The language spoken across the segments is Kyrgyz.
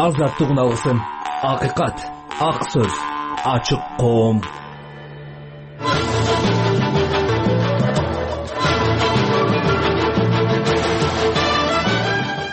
азаттык уналысын. Акыйкат, ак сөз, ачык коом.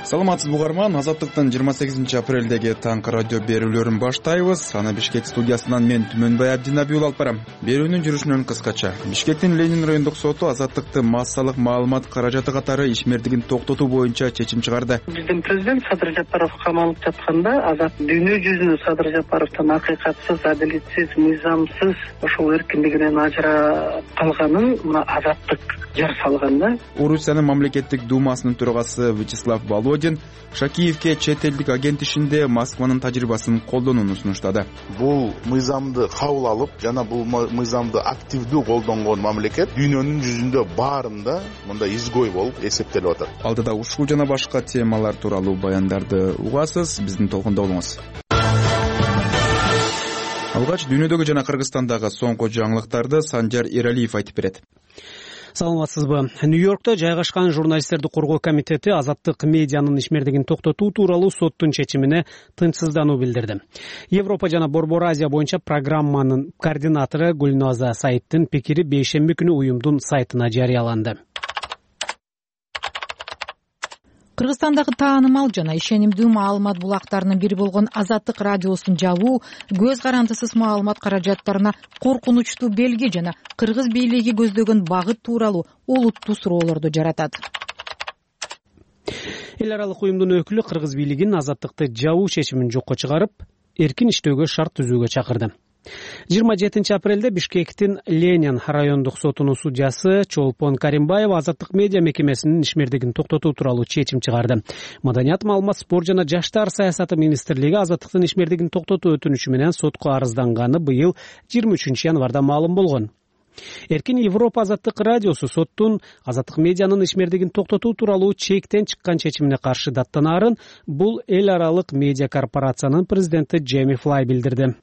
Саламатсызбы угарман, Азаттыктын 28 апрелдеги таңкы радио берүүлөрүн баштайбыз. Аны Бишкек студиясынан мен Түмөнбай Абдинабиул алып барам. Берүүнүн жүрүшүнөн кыскача. Бишкектин Ленин райондук соту азаттыкты массалык маалымат каражаты катары ишмердигин токтотуу боюнча чечим чыгарды. Биздин президент Садыр Жапаров камалып жатканда азат дүйнө жүзүнө Садыр Жапаровдун акыйкатсыз, адилетсиз, мыйзамсыз ошол эркиндигинен ажырап калганын мына азаттык жар салган да. Орусиянын мамлекеттик думасынын төрагасы Вячеслав Володин Шакиевке чет элдик агент ишинде Москванын тажрыйбасын колдонууну сунуштады. Бул мыйзамды кабыл алып, жана бул мыйзамды активдүү колдонгон мамлекет дүйнөнүн жүзүндө баарында мындай изгой болуп эсептелип атат. Алдыда ушул жана башка темалар тууралуу баяндарды угасыз, биздин толкунда болуңуз. Алгач дүйнөдөгү жана Кыргызстандагы соңку жаңылыктарды Санжар Эралиев айтып берет. Саламатсызбы. Нью-Йоркто жайгашкан журналисттерди коргоо комитети азаттык медианын ишмердигин токтотуу тууралуу соттун чечимине тынчсыздануу билдирди. Европа жана Борбор Азия боюнча программанын координатору Гүлназа Саиддин пикири бейшемби күнү уюмдун сайтына жарыяланды. Кыргызстандагы таанымал жана ишенимдүү маалымат булактарынын бири болгон Азаттык радиосун жабуу көз карандысыз маалымат каражаттарына коркунучтуу белги жана кыргыз бийлиги көздөгөн багыт тууралуу олуттуу суроолорду жаратат. Эл аралык уюмдун өкүлү кыргыз бийлигин азаттыкты жабуу чечимин жокко чыгарып, эркин иштөөгө шарт түзүүгө чакырды. 27 апрелде Бишкектин Ленин райондук сотунун судьясы Чолпон Каримбаев азаттык медиа мекемесинин ишмердигин токтотуу тууралуу чечим чыгарды. Маданият, маалымат, спорт жана жаштар саясаты министрлиги азаттыктын ишмердигин токтотуу өтүнүчү менен сотко арызданганы быйыл 23 январда маалым болгон. Эркин Европа азаттык радиосу соттун азаттык медианын ишмердигин токтотуу тууралуу чектен чыккан чечимине каршы даттанаарын бул эл аралык медиа корпорациянын президенти Джейми Флай билдирди.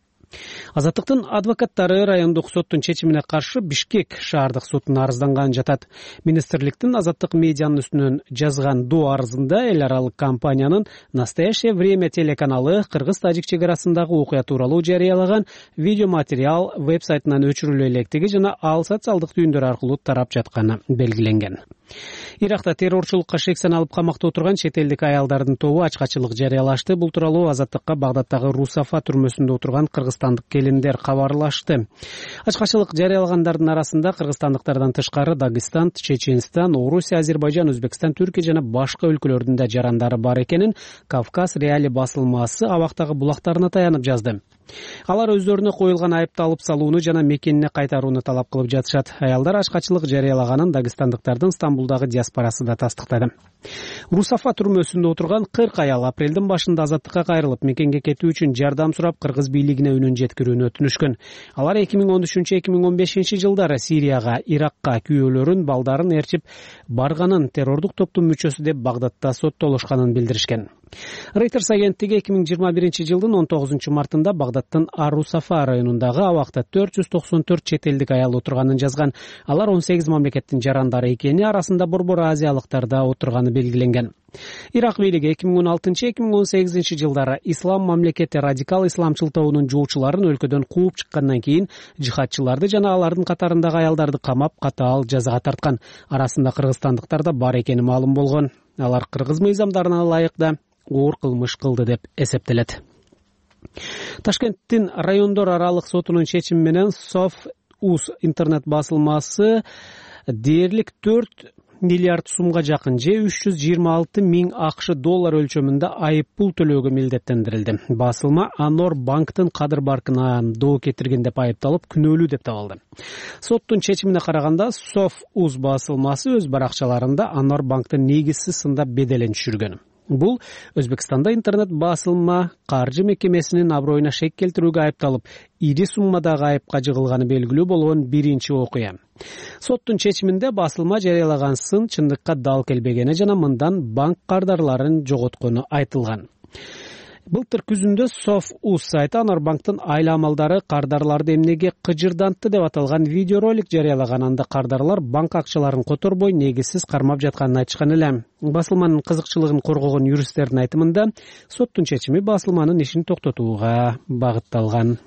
Азаттыктын адвокаттары райондук соттун чечимине каршы Бишкек шаардык сотуна арызданганын жатат. Министрликтин азаттык медианын үстүнөн жазган доо арызында эл аралык компаниянын «Настоящее время» телеканалы кыргыз-тажик чек арасындагы окуя тууралуу жарыялаган видеоматериал веб-сайтынан өчүрүлө электиги жана ал социалдык түйүндөр аркылуу тарап жатканы белгиленген. Иракта террорчулукка шек саналып камакта отурган чет элдик аялдардын тобу ачкачылык жарыялашты. Бул тууралуу Азаттыкка Багдадтагы Русафа түрмөсүндө отурган кыргызстандык келиндер кабарлашты. Ачкачылык жарыялагандардын арасында кыргызстандыктардан тышкары Дагыстан, Чеченстан, Орусия, Азербайжан, Өзбекстан, Түркия жана башка өлкөлөрдүн да жарандары бар экенин Кавказ Реали басылмасы Абактагы булактарына таянып жазды. Алар өздөрүнө коюлган айыпты алып салууну жана мекенине кайтарууну талап кылып жатышат. Аялдар ачкачылык жарыялаганын дагыстандыктардын Стамбулдагы диаспорасы да тастыктады. Русафа түрмөсүндө отурган 40 аял апрелдин башында азаттыкка кайрылып, мекенге кетүү үчүн жардам сурап кыргыз бийлигине үнүн жеткирүүнү өтүнүшкөн. Алар 2013-2015 жылдары Сирияга, Иракка күйөөлөрүн, балдарын ээрчип барганын, террордук топтун мүчөсү деп Багдадта соттолушканын билдиришкен. Reuters агенттиги 2021 жылдын 19 мартында Багдадтын Ар-Русафа районундагы абакта 494 чет элдик аял отурганын жазган. Алар 18 мамлекеттин жарандары экени, арасында Борбор Азиялыктар да отурганы белгиленген. Ирак бийлиги 2016-2018 жылдары Ислам мамлекети радикал исламчыл тобунун жоочуларын өлкөдөн кууп чыккандан кийин жихадчыларды жана алардын катарындагы аялдарды камап, катаал жазага тарткан. Арасында кыргызстандыктар да бар экени маалым болгон. Алар кыргыз мыйзамдарына ылайык да оор кылмыш кылды деп эсептелет. Ташкенттин райондор аралык сотунун чечими менен Соф.уз интернет басылмасы дээрлик 4 миллиард сумга жакын же 326 миң АКШ доллар өлчөмүндө айыппул төлөөгө милдеттендирилди. Басылма Анор банктын кадыр баркына доо кетирген деп айыпталып, күнөөлүү деп табылды. Соттун чечимине караганда Соф.уз басылмасы өз баракчаларында Анор банктын негизсиз сындап беделин түшүргөн. Бул Өзбекстанда интернет басылма каржы мекемесинин аброюна шек келтирүүгө айыпталып, ири суммадагы айыпка жыгылганы белгилүү болгон биринчи окуя. Соттун чечиминде басылма жарыялаган сын чындыкка дал келбегени жана мындан банк кардарларын жоготкону айтылган. Былтыр күзүндө Соф.уз сайты Анар банктын айла амалдары кардарларды эмнеге кыжырдантты деп аталган видеоролик жарыялаган. Анда кардарлар банк акчаларын которбой негизсиз кармап жатканын айтышкан эле. Басылманын кызыкчылыгын коргогон юристтердин айтымында соттун чечими басылманын ишин токтотууга багытталган.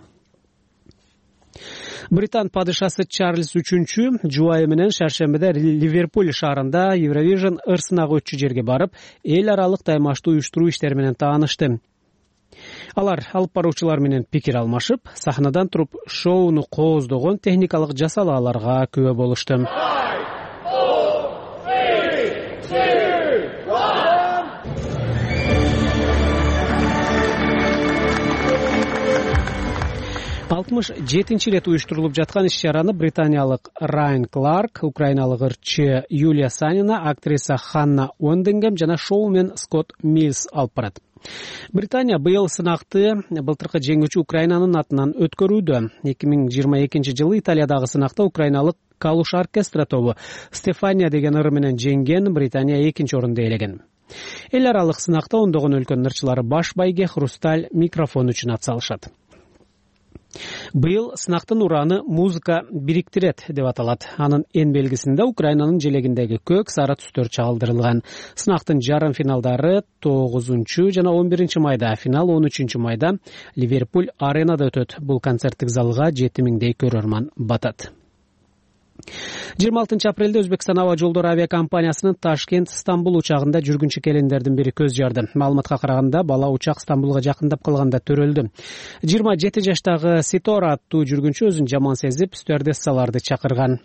Британ падышасы Чарльз III жубайы менен шаршембиде Ливерпуль шаарында Eurovision ырсынагы өтчү жерге барып, эл аралык таймаштуу уюштуруу иштери менен таанышты. Алар алып баруучулар менен пикир алмашып, сахнадан туруп шоуну кооздогон техникалык жасалааларга күбө болушту. 67-нчи ирет уюштурулуп жаткан иш-чараны британиялык Райан Кларк, украиналык ырчы Юлия Санина, актриса Ханна Уэндингем жана шоумен Скотт Миллс алып барат. Британия быйыл сынакты былтыркы жеңүүчү Украинанын атынан өткөрүүдө. 2022-жылы Италиядагы сынакта украиналык Калуш оркестра тобу Стефания деген ыры менен жеңген, Британия 2-нчи орунду ээлеген. Эл аралык сынакта ондогон өлкөнүн ырчылары баш байге Хрусталь микрофон үчүн ат салышат. Быйыл сынактын ураны музыка бириктирет деп аталат. Анын эн белгисинде Украинанын желегиндеги көк сары түстөр чагылдырылган. Сынактын жарым финалдары 9 жана 11 майда, финал 13 майда Ливерпуль аренада өтөт. Бул концерттик залга 7000дей көрөрман батат. 26 апрелде Өзбекстан аба жолдору авиакомпаниясынын Ташкент-Стамбул учагында жүргүнчү келиндердин бири көз жарды. Маалыматка караганда, бала учак Стамбулга жакындап калганда төрөлдү. 27 жаштагы Ситора аттуу жүргүнчү өзүн жаман сезип, стюардессаларды чакырган.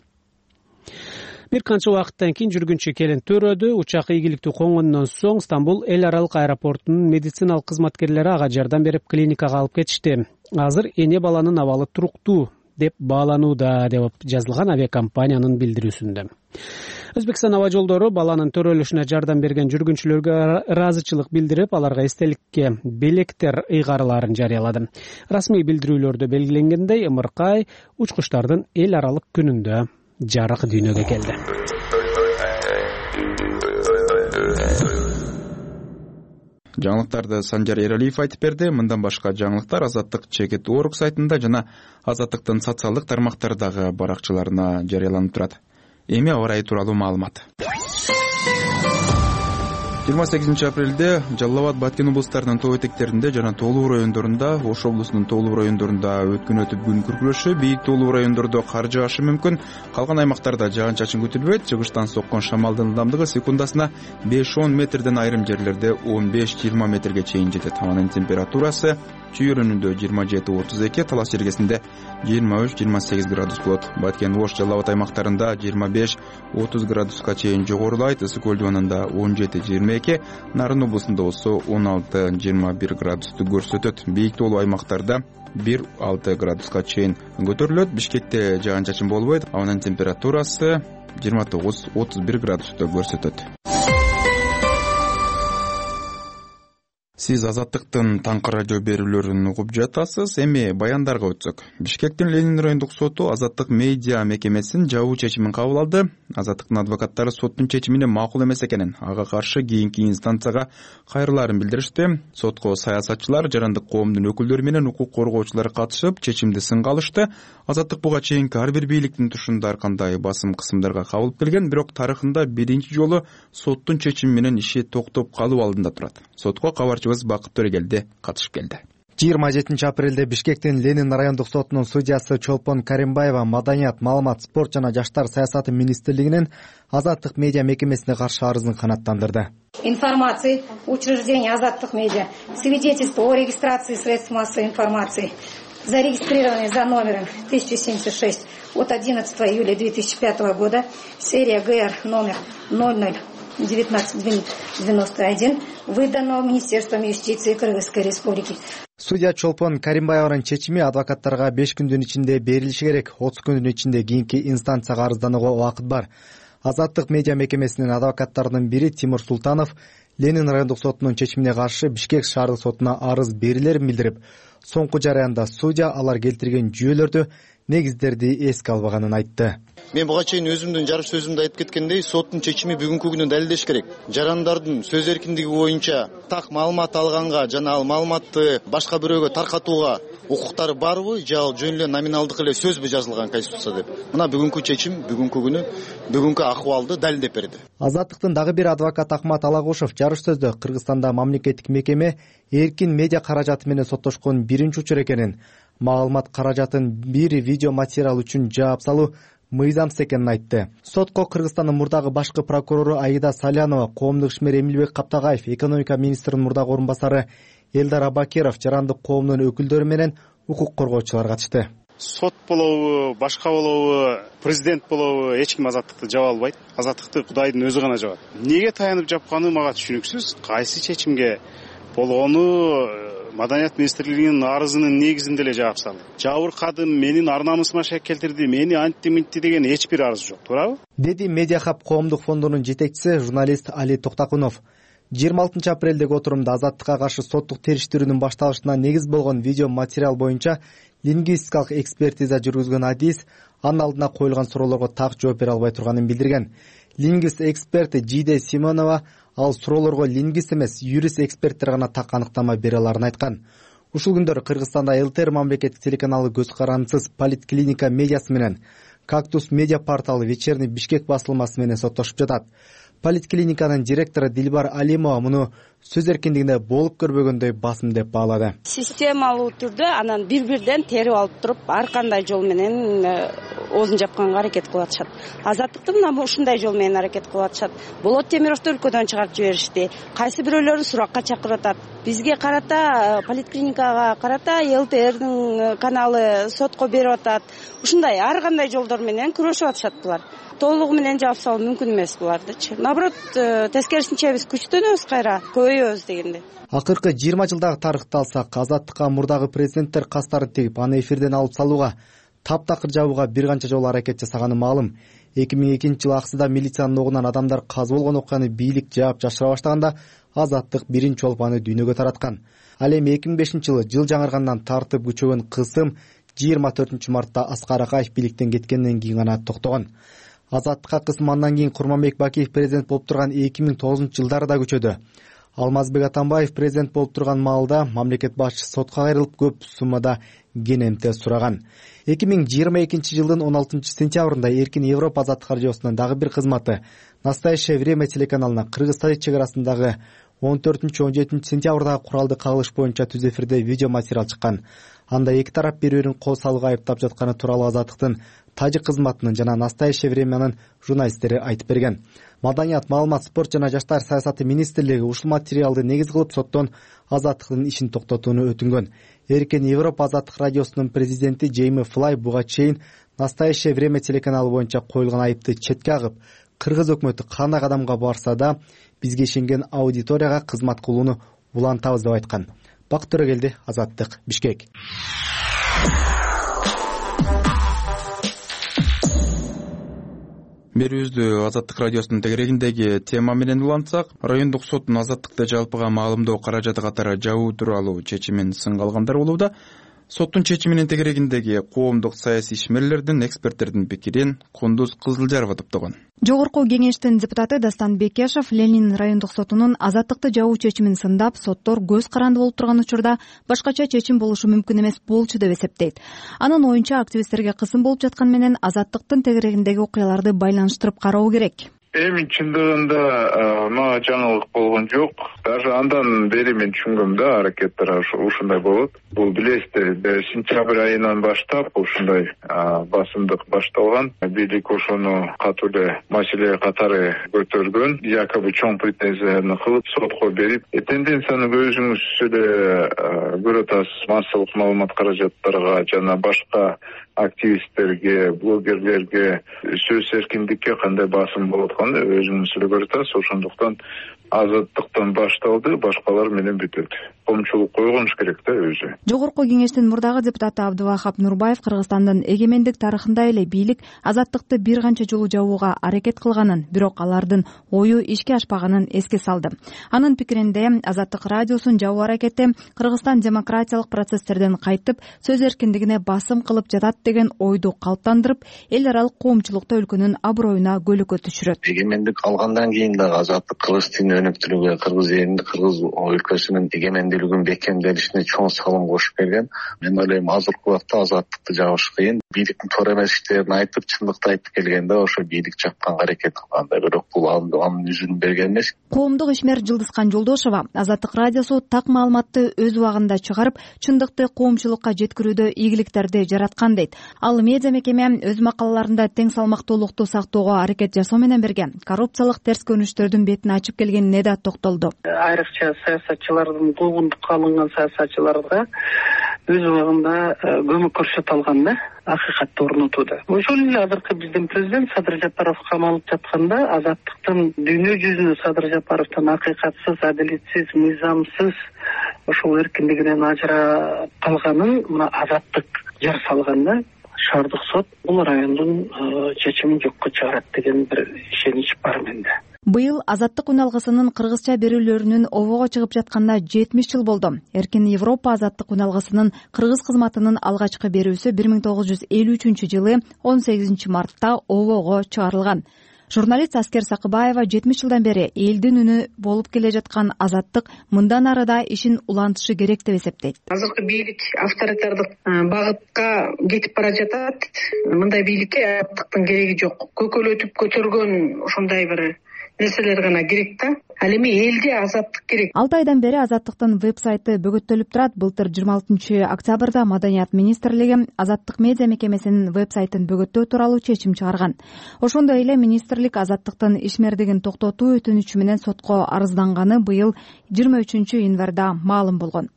Бир канча убакыттан кийин жүргүнчү келин төрөдү. Учак ийгиликтүү конгондон соң Стамбул эл аралык аэропортунун медициналык кызматкерлери ага жардам берип клиникага алып кетишти. Азыр эне баланын абалы туруктуу деп бааланууда деп жазылган авиакомпаниянын билдирүүсүндө. Өзбекстан аба жолдору баланын төрөлүшүнө жардам берген жүргүнчүлөргө ыраазычылык билдирип, аларга эстеликке белектер ыйгарыларын жарыялады. Расмий билдирүүлөрдө белгиленгендей, ымыркай учкучтардын эл аралык күнүндө жарык дүйнөгө келди. Жаңылыктарды Санжар Эралиев айтып берди. Мындан башка жаңылыктар Азаттык Чекет.org сайтында жана Азаттыктын социалдык тармактардагы баракчаларына жарыяланып турат. Эми аба ырайы тууралуу маалымат. 28 апрелде Жалал Абад, Баткен облустарынын тоо этектеринде жана тоолуу райондорунда, Ош облусунун тоолуу райондорунда өткөн күн күркүрөшү, бийик тоолуу райондордо кар жаашы мүмкүн. Калган аймактарда жаан-чачын күтүлбөйт. Чыгыштан соккон шамалдын ылдамдыгы секундасына 5-10 метрден, айрым жерлерде 15-20 метрге чейин жетет. Анын температурасы чүйөрүнүндө 27-32, Талас жергесинде 23-28 градус болот. Баткен, Ош, Жалал Абад аймактарында 25-30 градуска чейин жогорулайт. Ысык көл дубанында 17-22, Нарын облусунда болсо 16-21 градусту көрсөтөт. Бийик тоолуу аймактарда 1-6 градуска чейин көтөрүлөт. Бишкекте жаан-чачын болбойт. Анын температурасы 29-31 градусту көрсөтөт. Сиз Азаттыктын таңкы радио берүүлөрүн угуп жатасыз. Эми баяндарга өтсөк. Бишкектин Ленин райондук соту Азаттык медиа мекемесинин жабуу чечимин кабыл алды. Азаттыктын адвокаттары соттун чечимине макул эмес экенин, ага каршы кийинки инстанцияга кайрылаарын билдиришти. Сотко саясатчылар, жарандык коомдун өкүлдөрү менен укук коргоочулар катышып, чечимди сынга алышты. Азаттык буга чейинки ар бир бийликтин тушунда ар кандай басым кысымдарга кабылып келген, бирок тарыхында биринчи жолу соттун чечими менен иши токтоп калуу алдында турат. Сотко кабарчыбыз Бакыт Төрегелди катышып келди. 27 апрелде Бишкектин Ленин райондук сотунун судьясы Чолпон Каримбаева маданият, маалымат, спорт жана жаштар саясаты министрлигинин Азаттык медиа мекемесине каршы арызын канааттандырды. Информации учреждения Азаттык медиа, свидетельство о регистрации средств массовой информации, зарегистрированные за номером 1076 от 11 июля 2005 года, серия ГР номер 001991, выданного Министерством юстиции Кыргызской республики. Судья Чолпон Каримбаеванын чечими адвокаттарга 5 күндүн ичинде берилиши керек. 30 күндүн ичинде кийинки инстанцияга арызданууга убакыт бар. Азаттык медиа мекемесинин адвокаттарынын бири Тимур Султанов Ленин райондук сотунун чечимине каршы Бишкек шаардык сотуна арыз берилерин билдирип, соңку жараянда судья алар келтирген жүйөлөрдү негиздерди эске албаганын айтты. Мен буга чейин өзүмдүн жарыш сөзүмдө айтып кеткендей, соттун чечими бүгүнкү күнү далилдеш керек. Жарандардын сөз эркиндиги боюнча так маалымат алганга жана ал маалыматты башка бирөөгө таркатууга укуктары барбы, же ал жөн эле номиналдык эле сөзбү жазылган Конституция деп. Мына бүгүнкү чечим бүгүнкү күнү бүгүнкү акыбалды далилдеп берди. Азаттыктын дагы бир адвокаты Акмат Алагушев жарыш сөздө Кыргызстанда мамлекеттик мекеме эркин медиа каражаты менен соттошкон биринчи учур экенин, маалымат каражатын бир видео материал үчүн жаап салуу мыйзамсыз экенин айтты. Сотко Кыргызстандын мурдагы башкы прокурору Аида Салянова, коомдук ишмер Эмилбек Каптагаев, экономика министринин мурдагы орун басары Элдар Абакиров, жарандык коомдун өкүлдөрү менен укук коргоочулар катышты. Сот болобу, башка болобу, президент болобу, эч ким азаттыкты жаба албайт. Азаттыкты Кудайдын өзү гана жабат. Неге таянып жапканы мага түшүнүксүз. Кайсы чечимге болгону Маданият министрлигинин арызынын негизинде эле жаап салды. Жабыркадым, менин ар намысыма шек келтирди, мени антти деген эч бир арыз жок, туурабы? Деди Медиахаб коомдук фондунун жетекчиси журналист Али Токтакунов. 26 апрелдеги отурумда азаттыкка каршы соттук териштирүүнүн башталышына негиз болгон видео материал боюнча лингвистикалык экспертиза жүргүзгөн адис анын алдына коюлган суроолорго так жооп бере албай турганын билдирген. Лингвист эксперти Жиде Симонова ал суроолорго лингвист эмес, юрист эксперттер гана так аныктама бере аларын айткан. Ушул күндөрү Кыргызстанда ЛТР мамлекеттик телеканалы көз карандысыз Политклиника медиасы менен Кактус медиа порталы Вечерний Бишкек басылмасы менен соттошуп жатат. Политклиниканын директору Дилбар Алимова муну сөз эркиндигинде болуп көрбөгөндөй басым деп баалады. Системалуу түрдө анан бир-бирден терип алып туруп, ар кандай жол менен оозун жапканга аракет кылып атышат. Азаттыкты мына ушундай жол менен аракет кылып атышат. Болот Темировду өлкөдөн чыгарып жиберишти. Кайсы бирөөлөрү суракка чакырып атат. Бизге карата, Политклиникага карата ЛТРдин каналы сотко берип атат. Ушундай ар кандай жолдор менен күрөшүп атышат булар. Толугу менен жаап салуу мүмкүн эмес булардычы. Наоборот, тескерисинче биз күчтөнөбүз кайра, көбөйөбүз дегенде. Акыркы 20 жылдагы тарыхты алсак, азаттыкка мурдагы президенттер кастарын тегип, аны эфирден алып салууга, таптакыр жабууга бир канча жолу аракет жасаганы маалым. 2002 жылы Аксыда милициянын огунан адамдар каза болгон окуяны бийлик жаап жашыра баштаганда Азаттык биринчи болуп аны дүйнөгө тараткан. Ал эми 2005 жылы жыл жаңыргандан тартып күчөгөн кысым 24 мартта Аскар Акаев бийликтен кеткенден кийин гана токтогон. Азаттыкка кысым андан кийин Курманбек Бакиев президент болуп турган 2009 жылдары да күчөдү. Алмазбек Атамбаев президент болуп турган маалда мамлекет башчысы сотко кайрылып көп суммада кенемте сураган. 2022 жылдын 16 сентябрында Эркин Европа азаттык радиосунун дагы бир кызматы Настоящее время телеканалына Кыргыз-Тажик чек арасындагы 14-17 сентябрдагы куралды кагылыш боюнча түз эфирде видео материал чыккан. Анда эки тарап бири-бирин кол салууга айыптап жатканы тууралуу Азаттыктын Тажик кызматынын жана Настоящее времянын журналисттери айтып берген. Маданият, маалымат, спорт жана жаштар саясаты министрлиги ушул материалды негиз кылып соттон Азаттыктын ишин токтотууну өтүнгөн. Эркин Европа азаттык радиосунун президенти Джейми Флай буга чейин Настоящее время телеканалы боюнча коюлган айыпты четке агып, Кыргыз өкмөтү кандай кадамга барса да бизге ишенген аудиторияга кызмат кылууну улантабыз деп айткан. Бак Төрөгелди, Азаттык, Бишкек. Берүүбүздү Азаттык радиосунун тегерегиндеги тема менен улантсак, райондук соттун азаттыкты жалпыга маалымдоо каражаты катары жабуу тууралуу чечимин сынга алгандар болууда. Соттун чечиминин тегерегиндеги коомдук саясий ишмерлердин, эксперттердин пикирин Кундуз Кызылжарова топтогон. Жогорку кеңештин депутаты Дастан Бекешев Ленин райондук сотунун азаттыкты жабуу чечимин сындап, соттор көз каранды болуп турган учурда башкача чечим болушу мүмкүн эмес болчу деп эсептейт. Анын оюнча активисттерге кысым болуп жаткан менен азаттыктын тегерегиндеги окуяларды байланыштырып кароо керек. Эми чындыгында мага жаңылык болгон жок. Даже андан бери мен түшүнгөм да, аракеттер ушундай болот. Бул билесиздер, сентябрь айынан баштап ушундай басымдык башталган. Бийлик ошону катуу эле маселе катары көтөргөн, якобы чоң претензияны кылып сотко берип, тенденцияны өзүңүз эле көрүп атасыз. Массалык маалымат каражаттарга жана башка активисттерге, блогерлерге сөз эркиндикке кандай басым болуп атканын өзүңүз эле көрүп атасыз. Ошондуктан азаттыктан башталды, башкалар менен бүтөт. коомчулук койгонуш керек да өзү. Жогорку кеңештин мурдагы депутаты Абдувахап Нурбаев Кыргызстандын эгемендик тарыхында эле бийлик азаттыкты бир канча жолу жабууга аракет кылганын, бирок алардын ою ишке ашпаганын эске салды. Анын пикиринде Азаттык радиосун жабуу аракети Кыргызстан демократиялык процесстерден кайтып, сөз эркиндигине басым кылып жатат деген ойду калыптандырып, эл аралык коомчулукта өлкөнүн аброюна көлөкө түшүрөт. Эгемендик алгандан кийин дагы азаттык кыргыз тилин өнүктүрүүгө, кыргыз элинин, кыргыз өлкөсүнүн эгемендүүлүгүн бекемделишине чоң салым кошуп берген. Мен ойлойм, азыркы убакта азаттыкты жабыш кыйын. Бийликтин туура эмес иштерин айтып, чындыкты айтып келгенде ошо бийлик жапканга аракет кылган да, бирок бул анын жүзүн берген эмес. Коомдук ишмер Жылдызкан Жолдошова Азаттык радиосу так маалыматты өз убагында чыгарып, чындыкты коомчулукка жеткирүүдө ийгиликтерди жараткан дейт. Ал медиа мекеме өз макалаларында тең салмактуулукту сактоого аракет жасоо менен бирге коррупциялык терс көрүнүштөрдүн бетин ачып келгенине да токтолду. Айрыкча саясатчылардын куугунтукка алынган саясатчыларга өз убагында көмөк көрсөтө алган да, акыйкатты орнотууда. Ошол эле азыркы биздин президент Садыр Жапаров камалып жатканда азаттыктын дүйнө жүзүнө Садыр Жапаровдун акыйкатсыз, адилетсиз, мыйзамсыз ошол эркиндигинен ажырап калганын мына азаттык жар салган да. Шаардык сот бул райондун чечимин жокко чыгарат деген бир ишенич бар менде. Быйыл Азаттык үн алгысынын кыргызча берүүлөрүнүн обого чыгып жатканда 70 жыл болду. Эркин Европа Азаттык үн алгысынын кыргыз кызматынын алгачкы берүүсү 1953-жылы 18 мартта обого чыгарылган. Журналист Аскер Сакыбаева 70 жылдан бери элдин үнү болуп келе жаткан Азаттык мындан ары да ишин улантышы керек деп эсептейт. Азыркы бийлик авторитардык багытка кетип бара жатат. Мындай бийликке азаттыктын кереги жок. Көкөлөтүп көтөргөн ошондой бир нерселер гана керек да. Ал эми элге азаттык керек. 6 айдан бери Азаттыктын веб-сайты бөгөттөлүп турат. Былтыр 26 октябрда Маданият министрлиги Азаттык медиа мекемесинин веб-сайтын бөгөттөө тууралуу чечим чыгарган. Ошондой эле министрлик Азаттыктын ишмердигин токтотуу өтүнүчү менен сотко арызданганы быйыл 23 январда маалым болгон.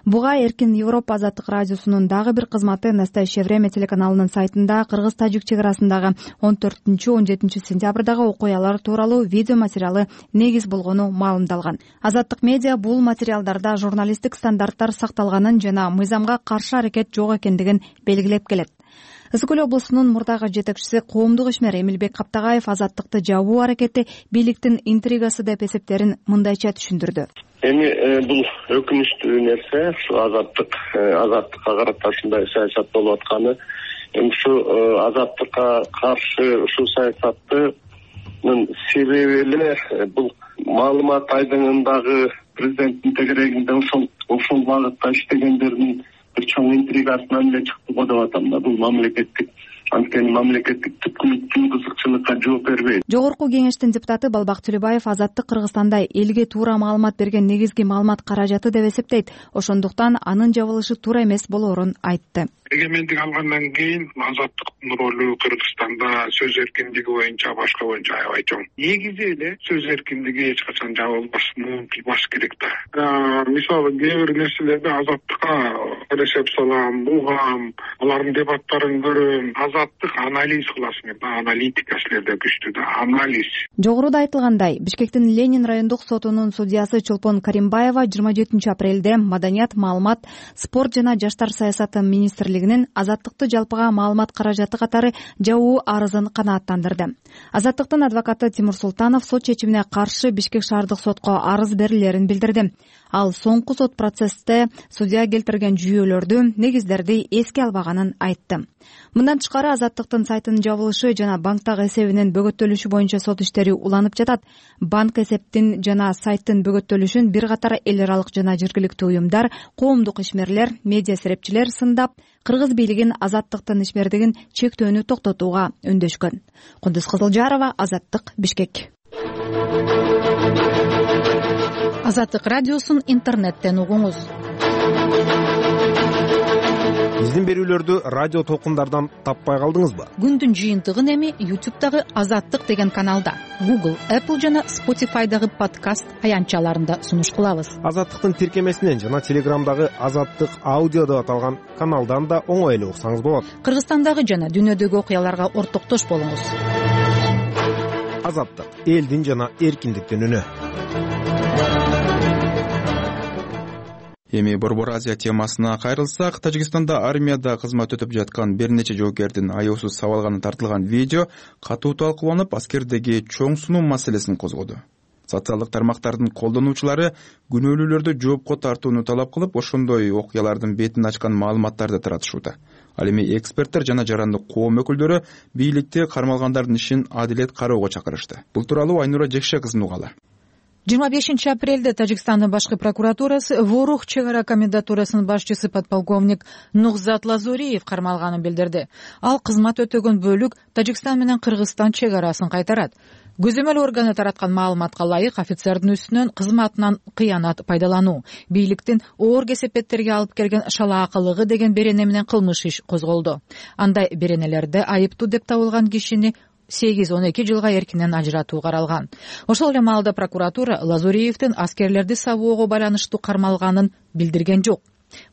Буга Эркин Европа Азаттык радиосунун дагы бир кызматы Настоящее время телеканалынын сайтында кыргыз-тажик чек арасындагы 14-17 сентябрдагы окуялар тууралуу видео материалы негиз болгону маалымдалган. Азаттык медиа бул материалдарда журналисттик стандарттар сакталганын жана мыйзамга каршы аракет жок экендигин белгилеп келет. Ысык Көл облусунун мурдагы жетекчиси коомдук ишмер Эмилбек Каптагаев азаттыкты жабуу аракети бийликтин интригасы деп эсептерин мындайча түшүндүрдү. Эми бул өкүнүчтүү нерсе, ушу азаттыкка карата ушундай саясат болуп атканы. Эми ушу азаттыкка каршы ушул саясаттын себеби эле бул маалымат айдыңындагы президенттин тегерегинде ошол багытта иштегендердин бир чоң интригасынан эле чыкты го деп атам да. Бул мамлекеттик, анткени мамлекеттик түпкүлүктүү кызыкчылыкка жооп бербейт. Жогорку кеңештин депутаты Балбак Төлөбаев азаттык Кыргызстанда элге туура маалымат берген негизги маалымат каражаты деп эсептейт. Ошондуктан анын жабылышы туура эмес болоорун айтты. Эгемендик алгандан кийин азаттыктын ролу Кыргызстанда сөз эркиндиги боюнча башка боюнча аябай чоң. Негизи эле сөз эркиндиги эч качан жабылбасын, угулбаш керек да. Мисалы кээ бир нерселерди азаттыкка эсеп салам, угам, алардын дебаттарын көрөм. Азаттык анализ кыласың, аналитика силерде күчтүү да, анализ. Жогоруда айтылгандай, Бишкектин Ленин райондук сотунун судьясы Чолпон Каримбаева 27 апрелде Маданият, маалымат, спорт жана жаштар саясаты министрлигинин азаттыкты жалпыга маалымат каражаты катары жабуу арызын канааттандырды. Азаттыктын адвокаты Тимур Султанов сот чечимине каршы Бишкек шаардык сотко арыз берилерин билдирди. Ал соңку сот процессте судья келтирген жүйөлөрдү, негиздерди эске албаганын айтты. Мындан тышкары азаттыктын сайтынын жабылышы жана банктагы эсебинин бөгөттөлүшү боюнча сот иштери уланып жатат. Банк эсептин жана сайттын бөгөттөлүшүн бир катар эл аралык жана жергиликтүү уюмдар, коомдук ишмерлер, медиа серепчилер сындап, кыргыз бийлигин азаттыктын ишмердигин чектөөнү токтотууга үндөшкөн. Кундуз Кызылжарова, Азаттык, Бишкек. Азаттык радиосун интернеттен угуңуз. Биздин берүүлөрдү радио толкундардан таппай калдыңызбы? Күндүн жыйынтыгын эми YouTube'дагы Азаттык деген каналда, Google, Apple жана Spotify'дагы подкаст аянтчаларында сунуш кылабыз. Азаттыктын тиркемесинен жана Telegram'дагы Азаттык аудио деп аталган каналдан да оңой эле уксаңыз болот. Кыргызстандагы жана дүйнөдөгү окуяларга ортоктош болуңуз. Азаттык, элдин жана эркиндиктин үнү. Эми Борбор Азия темасына кайрылсак, Тажикстанда армияда кызмат өтүп жаткан бир нече жоокердин аяусуз сабалганы тартылган видео катуу талкууланып, аскердеги чоң сунуу маселесин козгоду. Социалдык тармактардын колдонуучулары күнөөлүүлөрдү жоопко тартууну талап кылып, ошондой окуялардын бетин ачкан маалыматтарды таратышууда. Ал эми эксперттер жана жарандык коом өкүлдөрү бийликти кармалгандардын ишин адилет кароого чакырышты. Бул тууралуу Айнура Жекше кызынын угалы. 25 апрелде Тажикстандын башкы прокуратурасы Ворух чек ара комендатурасынын башчысы подполковник Нухзат Лазуриев кармалганын билдирди. Ал кызмат өтөгөн бөлүк Тажикстан менен Кыргызстан чек арасын кайтарат. Көзөмөл органы тараткан маалыматка ылайык, офицердин үстүнөн кызматынан кыянат пайдалануу, бийликтин оор кесепеттерге алып келген шалаакылыгы деген берене менен кылмыш иш козголду. Андай беренелерде айыптуу деп табылган кишини 8-12 жылга эркинен ажыратуу каралган. Ошол эле маалда прокуратура Лазуриевдин аскерлерди сабоого байланыштуу кармалганын билдирген жок.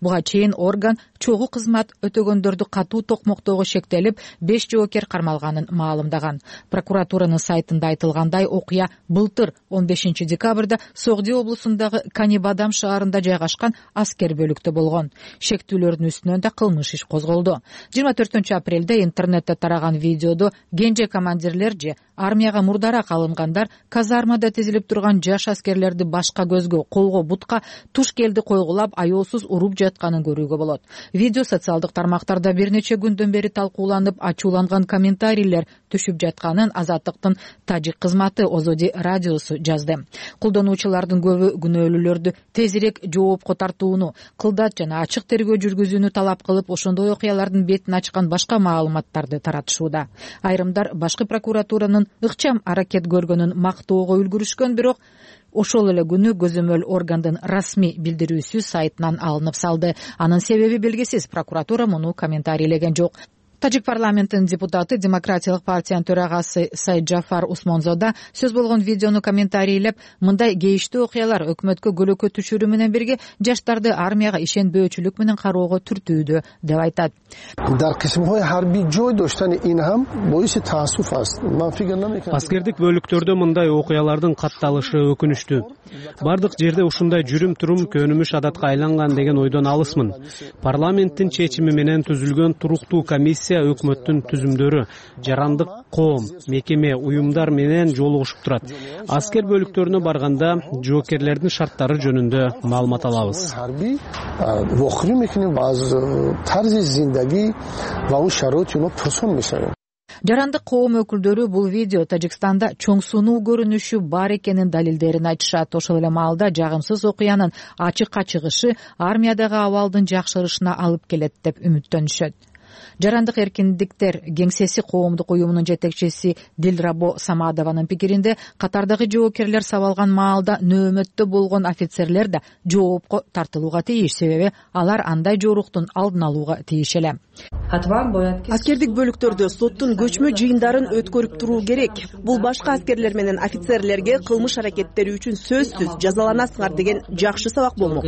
Буга чейин орган чогуу кызмат өтөгөндөрдү катуу токмоктоого шектелип, 5 жоокер кармалганын маалымдаган. Прокуратуранын сайтында айтылгандай, окуя былтыр 15 декабрда Согди облусундагы Канибадам шаарында жайгашкан аскер бөлүктө болгон. Шектүүлөрдүн үстүнөн да кылмыш иш козголду. 24 апрелде интернетте тараган видеодо кенже командирлер же армияга мурдараак алынгандар казармада тизилип турган жаш аскерлерди башка көзгө, колго, бутка туш келди койгулап, аяусуз уруп жатканын көрүүгө болот. Видео социалдык тармактарда бир нече күндөн бери талкууланып, ачууланган комментарийлер түшүп жатканын Азаттыктын тажик кызматы Озоди радиосу жазды. Колдонуучулардын көбү күнөөлүүлөрдү тезирээк жоопко тартууну, кылдат жана ачык тергөө жүргүзүүнү талап кылып, ошондой окуялардын бетин ачкан башка маалыматтарды таратышууда. Айрымдар башкы прокуратуранын ыкчам аракет көргөнүн мактоого үлгүрүшкөн, бирок ошол эле күнү көзөмөл органдын расмий билдирүүсү сайтынан алынып салды. Анын себеби белгисиз. Прокуратура муну комментарийлеген жок. Тажик парламентинин депутаты, Демократиялык партиянын төрагасы Сайджафар Усмонзода сөз болгон видеону комментарийлеп, мындай кейиштүү окуялар өкмөткө көлөкө түшүрүү менен бирге жаштарды армияга ишенбөөчүлүк менен кароого түртүүдө деп айтат. Аскердик бөлүктөрдө мындай окуялардын катталышы өкүнүчтүү. Бардык жерде ушундай жүрүм-турум көнүмүш адатка айланган деген ойдон алысмын. Парламенттин чечими менен түзүлгөн туруктуу комиссия өкмөттүн түзүмдөрү, жарандык коом, мекеме, уюмдар менен жолугушуп турат. Аскер бөлүктөрүнө барганда жоокерлердин шарттары жөнүндө маалымат алабыз. Жарандык коом өкүлдөрү бул видео Тажикстанда чоң сунуу көрүнүшү бар экенин далилдерин айтышат. Ошол эле маалда жагымсыз окуянын ачыкка чыгышы армиядагы абалдын жакшырышына алып келет деп үмүттөнүшөт. Жарандык эркиндиктер кеңсеси коомдук уюмунун жетекчиси Дилрабо Самадованын пикиринде, катардагы жоокерлер сабалган маалда нөөмөттө болгон офицерлер да жоопко тартылууга тийиш, себеби алар андай жоруктун алдын алууга тийиш эле. Аскердик бөлүктөрдө соттун көчмө жыйындарын өткөрүп туруу керек. Бул башка аскерлер менен офицерлерге кылмыш аракеттери үчүн сөзсүз жазаланасыңар деген жакшы сабак болмок.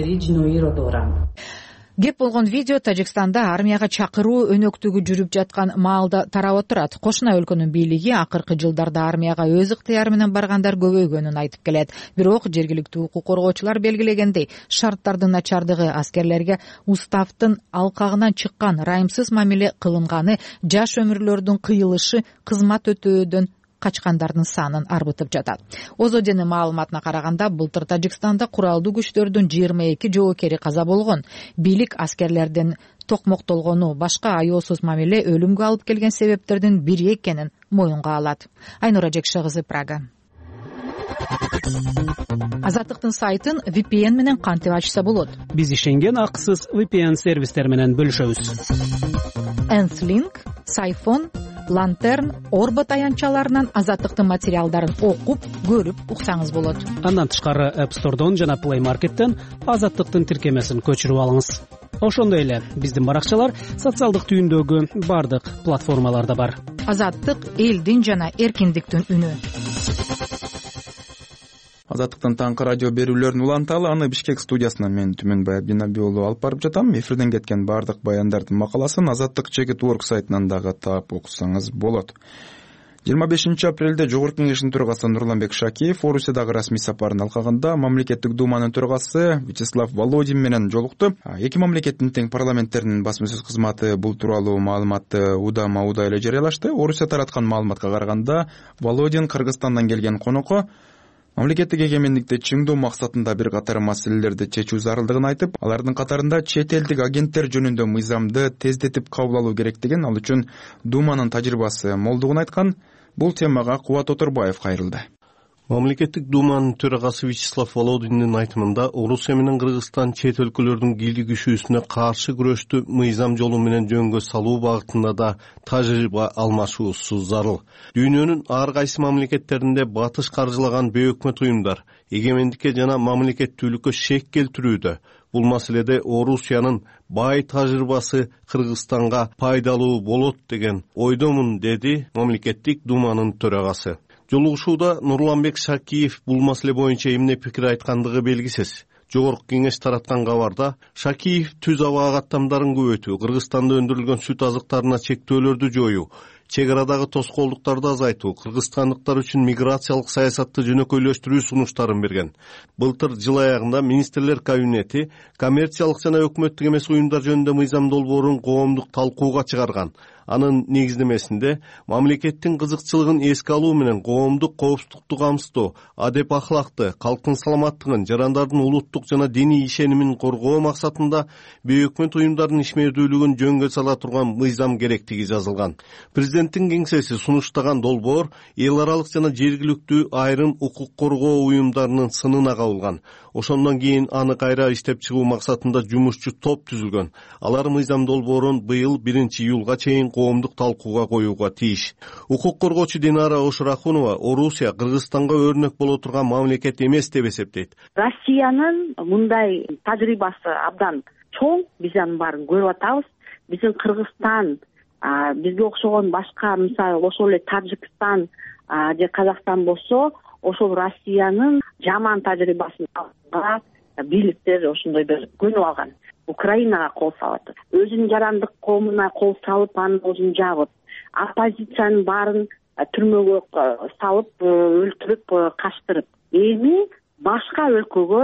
Кеп болгон видео Тажикстанда армияга чакыруу өнөктүгү жүрүп жаткан маалда тарап отурат. Кошуна өлкөнүн бийлиги акыркы жылдарда армияга өз ыктыяры менен баргандар көбөйгөнүн айтып келет. Бирок жергиликтүү укук коргоочулар белгилегендей, шарттардын начардыгы, аскерлерге уставдын алкагынан чыккан ырайымсыз мамиле кылынганы, жаш өмүрлөрдүн кыйылышы кызмат өтөөдөн качкандардын санын арбытып жатат. Озоденин маалыматына караганда, былтыр Тажикстанда куралдуу күчтөрдүн 22 жоокери каза болгон. Бийлик аскерлердин токмоктолгону, башка аяосуз мамиле өлүмгө алып келген себептердин бири экенин моюнга алат. Айнура Жекше кызы, Прага. Азаттыктын сайтын VPN менен кантип ачса болот? Биз ишенген акысыз VPN сервистер менен бөлүшөбүз. Enslink, Сайфон, Lantern, Орбот аянтчаларынан Азаттыктын материалдарын окуп, көрүп уксаңыз болот. Андан тышкары App Store'дон жана Play Market'тен Азаттыктын тиркемесин көчүрүп алыңыз. Ошондой эле биздин баракчалар социалдык түйүндөгү бардык платформаларда бар. Азаттык элдин жана эркиндиктин үнү. Азаттыктын таңкы радио берүүлөрүн уланталы, аны Бишкек студиясынан мен Түмөнбай Абдинаби уулу алып барып жатам. Эфирден кеткен бардык баяндардын макаласын Азаттык Чекит Орг сайтынан дагы таап окусаңыз болот. 25 апрелде Жогорку Кеңештин төрагасы Нурланбек Шакиев Орусиядагы расмий сапарын алкаганда мамлекеттик думанын төрагасы Вячеслав Володин менен жолукту. Эки мамлекеттин тең парламенттеринин басма сөз кызматы бул тууралуу маалыматты удама эле жарыялашты. Орусия тараткан маалыматка караганда Володин Кыргызстандан келген конокко мамлекеттик эгемендикти чыңдоо максатында бир катар маселелерди чечүү зарылдыгын айтып, алардын катарында чет элдик агенттер жөнүндө мыйзамды тездетип кабыл алуу керектигин, ал үчүн Думанын тажрыйбасы молдугун айткан. Бул темага Кубат Оторбаев кайрылды. Мамлекеттик думанын төрагасы Вячеслав Володиндин айтымында Орусия менен Кыргызстан чет өлкөлөрдүн кийлигишүүсүнө каршы күрөштү мыйзам жолу менен жөнгө салуу багытында да тажрыйба алмашуусу зарыл. Дүйнөнүн ар кайсы мамлекеттеринде батыш каржылаган бейөкмөт уюмдар эгемендикке жана мамлекеттүүлүккө шек келтирүүдө. Бул маселеде Орусиянын бай тажрыйбасы Кыргызстанга пайдалуу болот деген ойдомун, деди мамлекеттик думанын төрагасы. Жолугушууда Нурланбек Шакиев бул маселе боюнча эмне пикир айткандыгы белгисиз. Жогорку Кеңеш тараткан кабарда Шакиев түз аба каттамдарын көбөйтүү, Кыргызстанда өндүрүлгөн сүт азыктарына чектөөлөрдү жоюу, чек арадагы тоскоолдуктарды азайтуу, кыргызстандыктар үчүн миграциялык саясатты жөнөкөйлөштүрүү сунуштарын берген. Былтыр жыл аягында министрлер кабинети коммерциялык жана өкмөттүк эмес уюмдар жөнүндө мыйзам долбоорун коомдук талкууга чыгарган. Анын негиздемесинде мамлекеттин кызыкчылыгын эске алуу менен коомдук коопсуздукту камсыздоо, адеп ахлакты, калктын саламаттыгын, жарандардын улуттук жана диний ишенимин коргоо максатында бейөкмөт уюмдардын ишмердүүлүгүн жөнгө сала турган мыйзам керектиги жазылган. Президенттин кеңсеси сунуштаган долбоор эл аралык жана жергиликтүү айрым укук коргоо уюмдарынын сынына кабылган. Ошондон кийин аны кайра иштеп чыгуу максатында жумушчу топ түзүлгөн. Алар мыйзам долбоорун быйыл 1-июлга чейин коомдук талкууга коюуга тийиш. Укук коргоочу Динара Ошурахунова Орусия Кыргызстанга өрнөк боло турган мамлекет эмес деп эсептейт. Россиянын мындай тажрыйбасы абдан чоң, биз анын баарын көрүп атабыз. Биздин Кыргызстан, бизге окшогон башка, мисалы ошол эле Тажикстан же Казакстан болсо, ошол Россиянын жаман тажрыйбасын алганга бийликтер ошондой бир көнүп алган. Украинага кол салат. Өзүнүн жарандык коомуна кол салып, анын өзүн жабып, оппозициянын баарын түрмөгө салып, өлтүрүп, качтырып, эми башка өлкөгө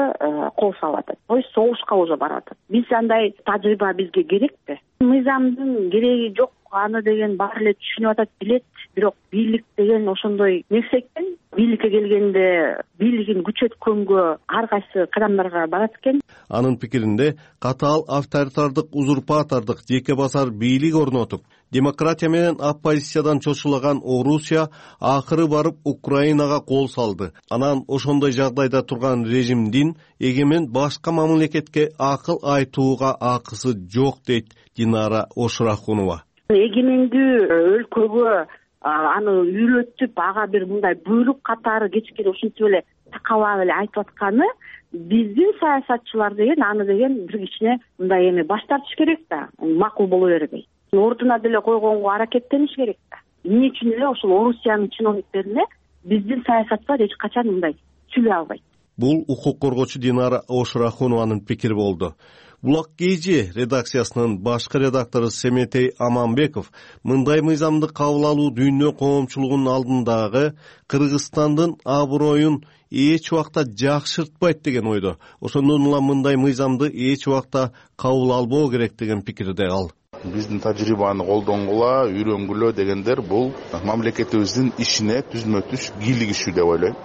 кол салып атат. То есть согушка уже барып атат. Биз андай тажрыйба бизге керекпи? Мыйзамдын кереги жок, аны деген баары эле түшүнүп атат, билет. Бирок бийлик деген ошондой нерсе экен. Бийликке келгенде бийлигин күчөткөнгө ар кайсы кадамдарга барат экен. Анын пикиринде катаал авторитардык, узурпатордук, жеке басар бийлик орнотуп, демократия менен оппозициядан чочулаган Орусия акыры барып Украинага кол салды. Анан ошондой жагдайда турган режимдин эгемен башка мамлекетке акыл айтууга акысы жок, дейт Динара Ошурахунова. Эгемендүү өлкөгө аны үйрөтүп, ага бир мындай буйрук катары кечкеде ушинтип эле такалап эле айтып атканы, биздин саясатчылар деген аны деген бир кичине мындай эми баш тартыш керек да, макул боло бербей. Ордуна деле койгонго аракеттениш керек да. Эмне үчүн эле ошол Орусиянын чиновниктерине биздин саясатчылар эч качан мындай сүйлөй албайт. Бул укук коргоочу Динара Ошурахунованын пикири болду. Булак КЖ редакциясынын башкы редактору Семетей Аманбеков мындай мыйзамды кабыл алуу дүйнө коомчулугунун алдындагы Кыргызстандын аброюн эч убакта жакшыртпайт деген ойдо. Ошондон улам мындай мыйзамды эч убакта кабыл албоо керек деген пикирде ал. Биздин тажрыйбаны колдонгула, үйрөнгүлө дегендер бул мамлекетибиздин ишине түзмө-түз кийлигишүү деп ойлойм.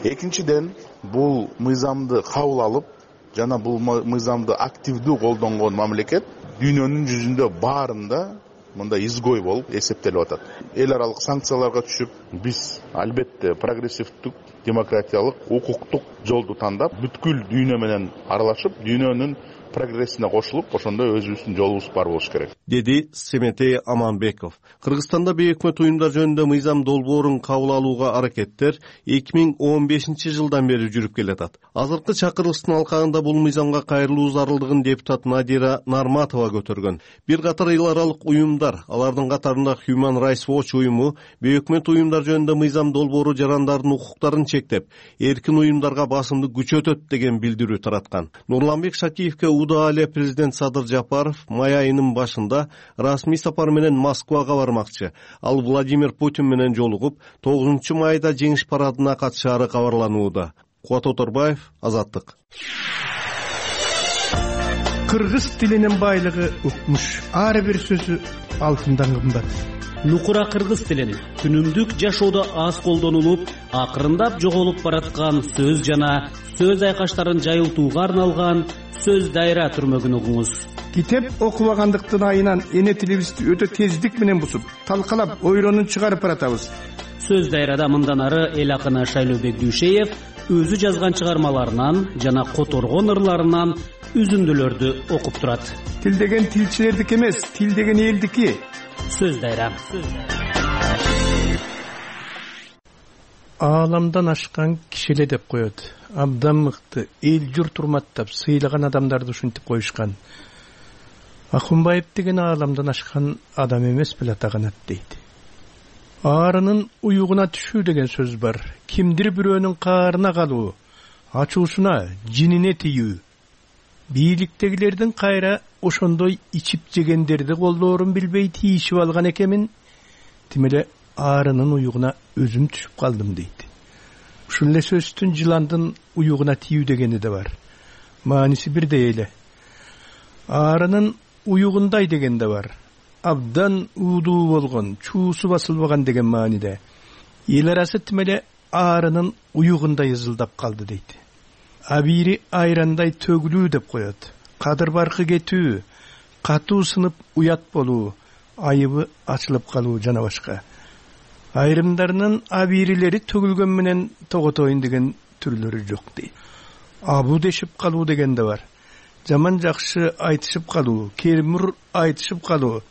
Экинчиден, бул мыйзамды кабыл алып жана бул мыйзамды активдүү колдонгон мамлекет дүйнөнүн жүзүндө баарында мындай изгой болуп эсептелип атат. Эл аралык санкцияларга түшүп, биз албетте прогрессивдүү, демократиялык, укуктук жолду тандап, бүткүл дүйнө менен аралашып, дүйнөнүн прогрессине кошулуп, ошондой өзүбүздүн жолубуз бар болуш керек, деди Семетей Аманбеков. Кыргызстанда бейөкмөт уюмдар жөнүндө мыйзам долбоорун кабыл алууга аракеттер 2015 жылдан бери жүрүп келатат. Азыркы чакырылыштын алкагында бул мыйзамга кайрылуу зарылдыгын депутат Надира Нарматова көтөргөн. Бир катар эл аралык уюмдар, алардын катарында Human Rights Watch уюму бейөкмөт уюмдар жөнүндө мыйзам долбоору жарандардын укуктарын чектеп, эркин уюмдарга басымды күчөтөт деген билдирүү тараткан. Нурланбек Шакиевке учурда эле президент Садыр Жапаров май айынын башында расмий сапар менен Москвага бармакчы. Ал Владимир Путин менен жолугуп, 9 майда жеңиш парадына катышаары кабарланууда. Кубат Оторбаев, Азаттык. Кыргыз тилинин байлыгы укмуш. Ар бир сөзү алтындан кымбат. Нукура кыргыз тилин күнүмдүк жашоодо аз колдонулуп, акырындап жоголуп бараткан сөз жана сөз айкаштарын жайылтууга арналган сөз дайра түрмөгүн угуңуз. Китеп окубагандыктын айынан эне тилибизди өтө тездик менен бусуп, талкалап, ойронун чыгарып баратабыз. Сөз дайрада мындан ары эл акыны Шайлообек Дүйшеев өзү жазган чыгармаларынан жана которгон ырларынан үзүндүлөрдү окуп турат. Тил деген тилчилердики эмес, тил деген элдики. Сөз дайра. Ааламдан ашкан кишиле деп коет. Абдан мыкты, эл журт урматтап, сыйлаган адамдарды ушинтип коюшкан. Акунбаев деген ааламдан ашкан адам эмес беле атаганат дейт. Аарынын уюгуна түшүү деген сөз бар. Кимдир бирөөнүн каарына калуу, ачуусуна, жинине тийүү. Бийликтегилердин кайра ошондой ичип жегендерди колдоорун билбей тийишип алган экенмин. Тимеле аарынын уюгуна өзүм түшүп калдым дейт. Ушул эле сөздүн жыландын уюгуна тийүү дегени да бар. Мааниси бирдей эле. Аарынын уюгундай деген да бар. Абдан уудуу болгон, чуусу басылбаган деген мааниде. Эл арасы тимеле аарынын уюгундай ызылдап калды дейт. Абири айрандай төгүлүү деп коет. Кадыр баркы кетүү, катуу сынып уят болуу, айыбы ачылып калуу жана башка. Айрымдарынын абирилери төгүлгөн менен тоготоюн деген түрлөрү жок дейт. Абу дешип калуу деген да бар. Жаман жакшы айтышып калуу, кермур айтышып калуу,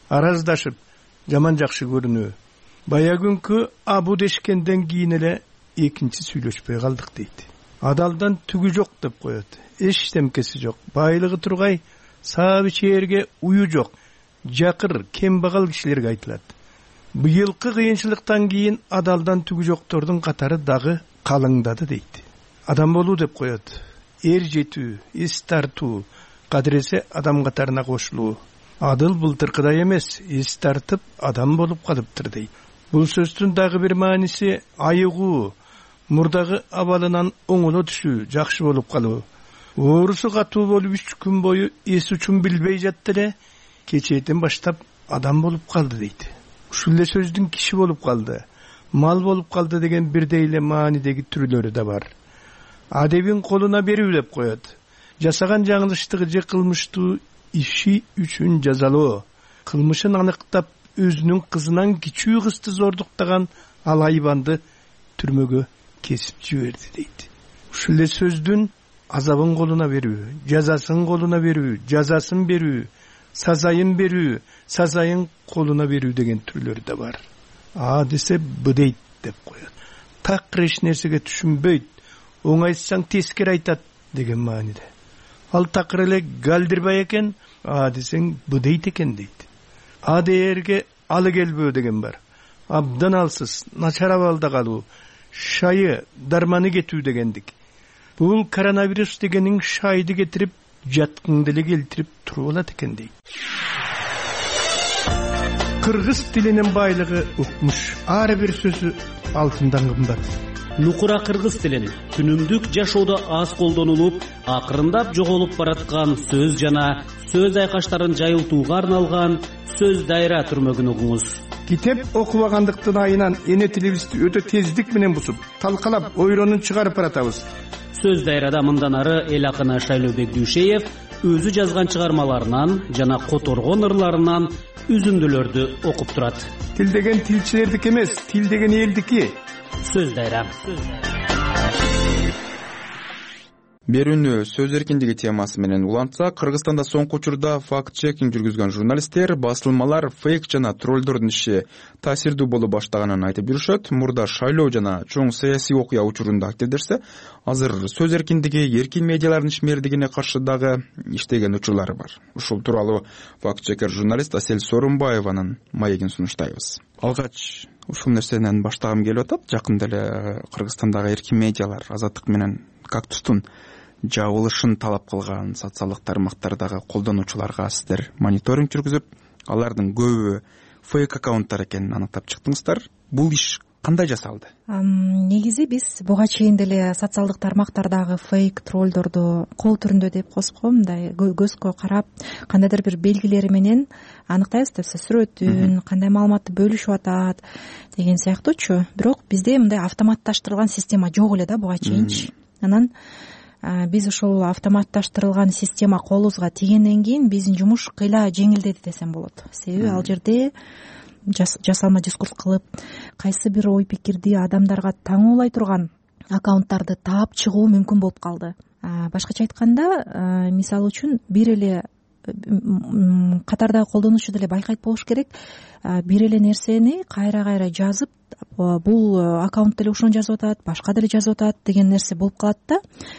араздашып, жаман жакшы көрүнүү. Бая күнкү абу дешкенден кийин эле экинчи сүйлөшпөй калдык дейт. Адалдан түгү жок деп коет. Эч темкеси жок. Байлыгы тургай, сабы чээрге уyu жок. Жакыр, кембагал кишилерге айтылат. Быйылкы кыйынчылыктан кийин адалдан түгү жоктордун катары дагы калыңдады дейт. Адам болуу деп коет. Эр жетүү, эс тартуу, кадыресе адам катарына кошулуу. Адыл былтыркыдай эмес, эс тартып адам болуп калыптыр дейт. Бул сөздүн дагы бир мааниси айыгуу, мурдагы абалынан оңоло түшүү, жакшы болуп калуу. Оорусу катуу болуп 3 күн бою эс учун билбей жатты эле, кечээден баштап адам болуп калды дейт. Ушул эле сөздүн киши болуп калды, мал болуп калды деген бирдей эле маанидеги түрлөрү да бар. Адебин колуна берүү деп коет. Жасаган жаңылыштыгы же кылмыштуу иши үчүн жазалоо. Кылмышын аныктап, өзүнүн кызынан кичүү кызды зордуктаган ал айбанды түрмөгө кесип жиберди дейт. Ушул эле сөздүн азабын колуна берүү, жазасын колуна берүү, жазасын берүү, сазайын берүү, сазайын колуна берүү деген түрлөрү да бар. А десе б дейт деп коет. Такыр эч нерсеге түшүнбөйт, оңайсаң тескери айтат деген мааниде. Ал такыр эле галдирбай экен, а десең б дейт экен дейт. А дээрге алы келбөө деген бар. Абдан алсыз, начар абалда калуу, шайы, дарманы кетүү дегендик. Бул коронавирус дегенин шайды кетирип, жаткыңды эле келтирип туруп алат экен дейт. Кыргыз тилинин байлыгы укмуш. Ар бир сөзү алтындан кымбат. Нукура кыргыз тилин күнүмдүк жашоодо аз колдонулуп, акырындап жоголуп бараткан сөз жана сөз айкаштарын жайылтууга арналган сөз дайра түрмөгүн угуңуз. Китеп окубагандыктын айынан эне тилибизди өтө тездик менен бусуп, талкалап, ойронун чыгарып баратабыз. Сөз дайрада мындан ары эл акыны Шайлообек Дүйшеев өзү жазган чыгармаларынан жана которгон ырларынан үзүндүлөрдү окуп турат. Тил деген тилчилердики эмес, тил деген элдики. Сөз дайра. Берүүнү сөз эркиндиги темасы менен улантсак, Кыргызстанда соңку учурда факт-чекинг жүргүзгөн журналисттер басылмалар фейк жана троллдордун иши таасирдүү боло баштаганын айтып жүрүшөт. Мурда шайлоо жана чоң саясий окуя учурунда активдерсе, азыр сөз эркиндиги, эркин медиалардын ишмердигине каршы дагы иштеген учурлары бар. Ушул тууралуу факт-чекер журналист Асель Сооронбаеванын маегин сунуштайбыз. Алгач ушул нерседен баштагым келип атат. Жакында эле Кыргызстандагы эркин медиалар Азаттык менен Кактустун жабылышын талап кылган социалдык тармактардагы колдонуучуларга сиздер мониторинг жүргүзүп, алардын көбү фейк аккаунттар экенин аныктап чыктыңыздар. Бул иш кандай жасалды? Негизи биз буга чейин деле социалдык тармактардагы фейк троллдорду кол түрүндө деп коесузго, мындай көзгө карап кандайдыр бир белгилери менен аныктайбыз да, сүрөтүн, кандай маалыматты бөлүшүп атат деген сыяктуучу. Бирок бизде мындай автоматташтырылган система жок эле да буга чейинчи. Анан биз ошол автоматташтырылган система колубузга тийгенден кийин биздин жумуш кыйла жеңилдеди десем болот. Себеби ал жерде жасалма дискурс кылып, кайсы бир ой пикирди адамдарга таңоолай турган аккаунттарды таап чыгуу мүмкүн болуп калды. Башкача айтканда, мисалы үчүн бир эле катардагы колдонуучу деле байкайт болуш керек. Бир эле нерсени кайра жазып, бул аккаунт деле ошону жазып атат, башка деле жазып атат деген нерсе болуп калат да.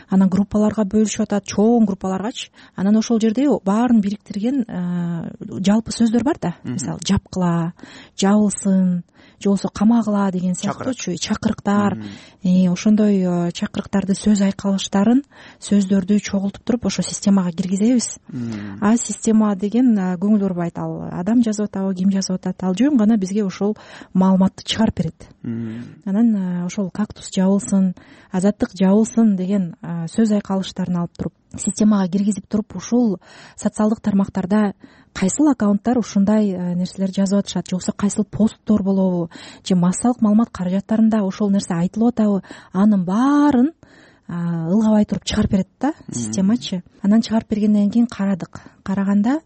Анан группаларга бөлүшүп атат, чоң группаларгачы. Анан ошол жерде баарын бириктирген жалпы сөздөр бар да. Мисалы, жапкыла, жабылсын, же болбосо камагыла деген сыяктуучу чакырыктар. Ошондой чакырыктарды, сөз айкалыштарын, сөздөрдү чогултуп туруп ошо системага киргизебиз. Система деген көңүл бурбайт, ал адам жазып атабы, ким жазып атат, ал жөн гана бизге ошол маалыматты чыгарып берет. Анан ошол кактус жабылсын, азаттык жабылсын деген сөз айкалыштарын алып туруп системага киргизип туруп, ушул социалдык тармактарда кайсыл аккаунттар ушундай нерселер жазып атышат, же болбосо кайсыл посттор болобу, же массалык маалымат каражаттарында ошол нерсе айтылып атабы, анын баарын ылгабай туруп чыгарып берет да системачы. Анан чыгарып бергенден кийин караганда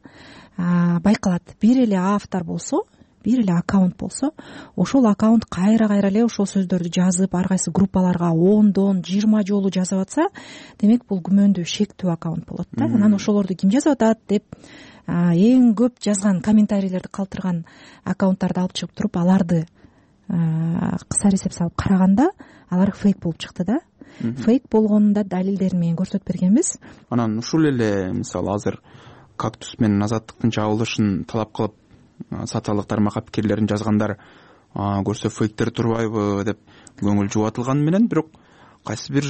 байкалат, бир эле автор болсо, бир эле аккаунт болсо, ошол аккаунт кайра эле ошол сөздөрдү жазып, ар кайсы группаларга 10 20 жолу жазып атса, демек бул күмөндүү, шектүү аккаунт болот да. Анан ошолорду ким жазып атат деп эң көп жазган комментарийлерди калтырган аккаунттарды алып чыгып туруп, аларды кыса эсеп салып караганда, алар фейк болуп чыкты да. Фейк болгонун да далилдерин менен көрсөтүп бергенбиз. Анан ушул эле, мисалы, азыр кактус менен азаттыктын жабылышын талап кылып социалдык тармакка пикирлерин жазгандар көрсө фейктер турбайбы деп көңүл жубатылганы менен, бирок кайсы бир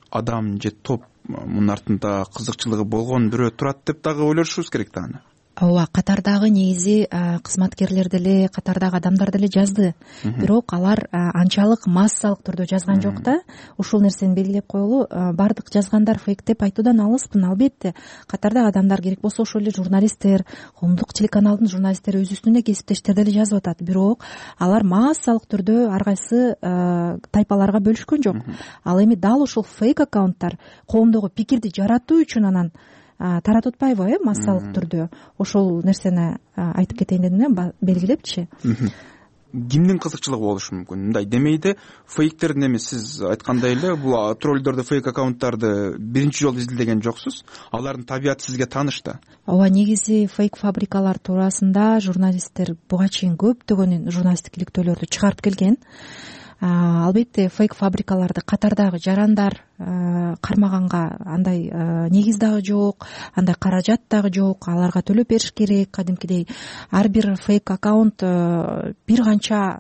адам же топ мунун артында кызыкчылыгы болгон бирөө турат деп дагы ойлошубуз керек да аны. Ооба, катардагы негизи кызматкерлер деле, катардагы адамдар деле жазды. Бирок алар анчалык массалык түрдө жазган жок да. Ушул нерсени белгилеп коелу, бардык жазгандар фейк деп айтуудан алыспын. Албетте, катардагы адамдар, керек болсо ошол эле журналисттер, коомдук телеканалдын журналисттери, өз үстүнө кесиптештер деле жазып атат. Бирок алар массалык түрдө ар кайсы тайпаларга бөлүшкөн жок. Ал эми дал ошол фейк аккаунттар коомдогу пикирди жаратуу үчүн анан таратып атпайбы, массалык түрдө ошол нерсени айтып кетейин дедим да, белгилепчи. Кимдин кызыкчылыгы болушу мүмкүн? Мындай демейди, фейктердин эми сиз айткандай эле бул троллдорду, фейк аккаунттарды биринчи жолу изилдеген жоксуз. Алардын табияты сизге тааныш да. Ооба, негизи фейк фабрикалар туурасында журналисттер буга чейин көптөгөн журналисттик иликтөөлөрдү чыгарып келген. Албетте, фейк фабрикаларды катардагы жарандар кармаганга андай негиз дагы жок, андай каражат дагы жок, аларга төлөп бериш керек. Кадимкидей ар бир фейк аккаунт бир канча,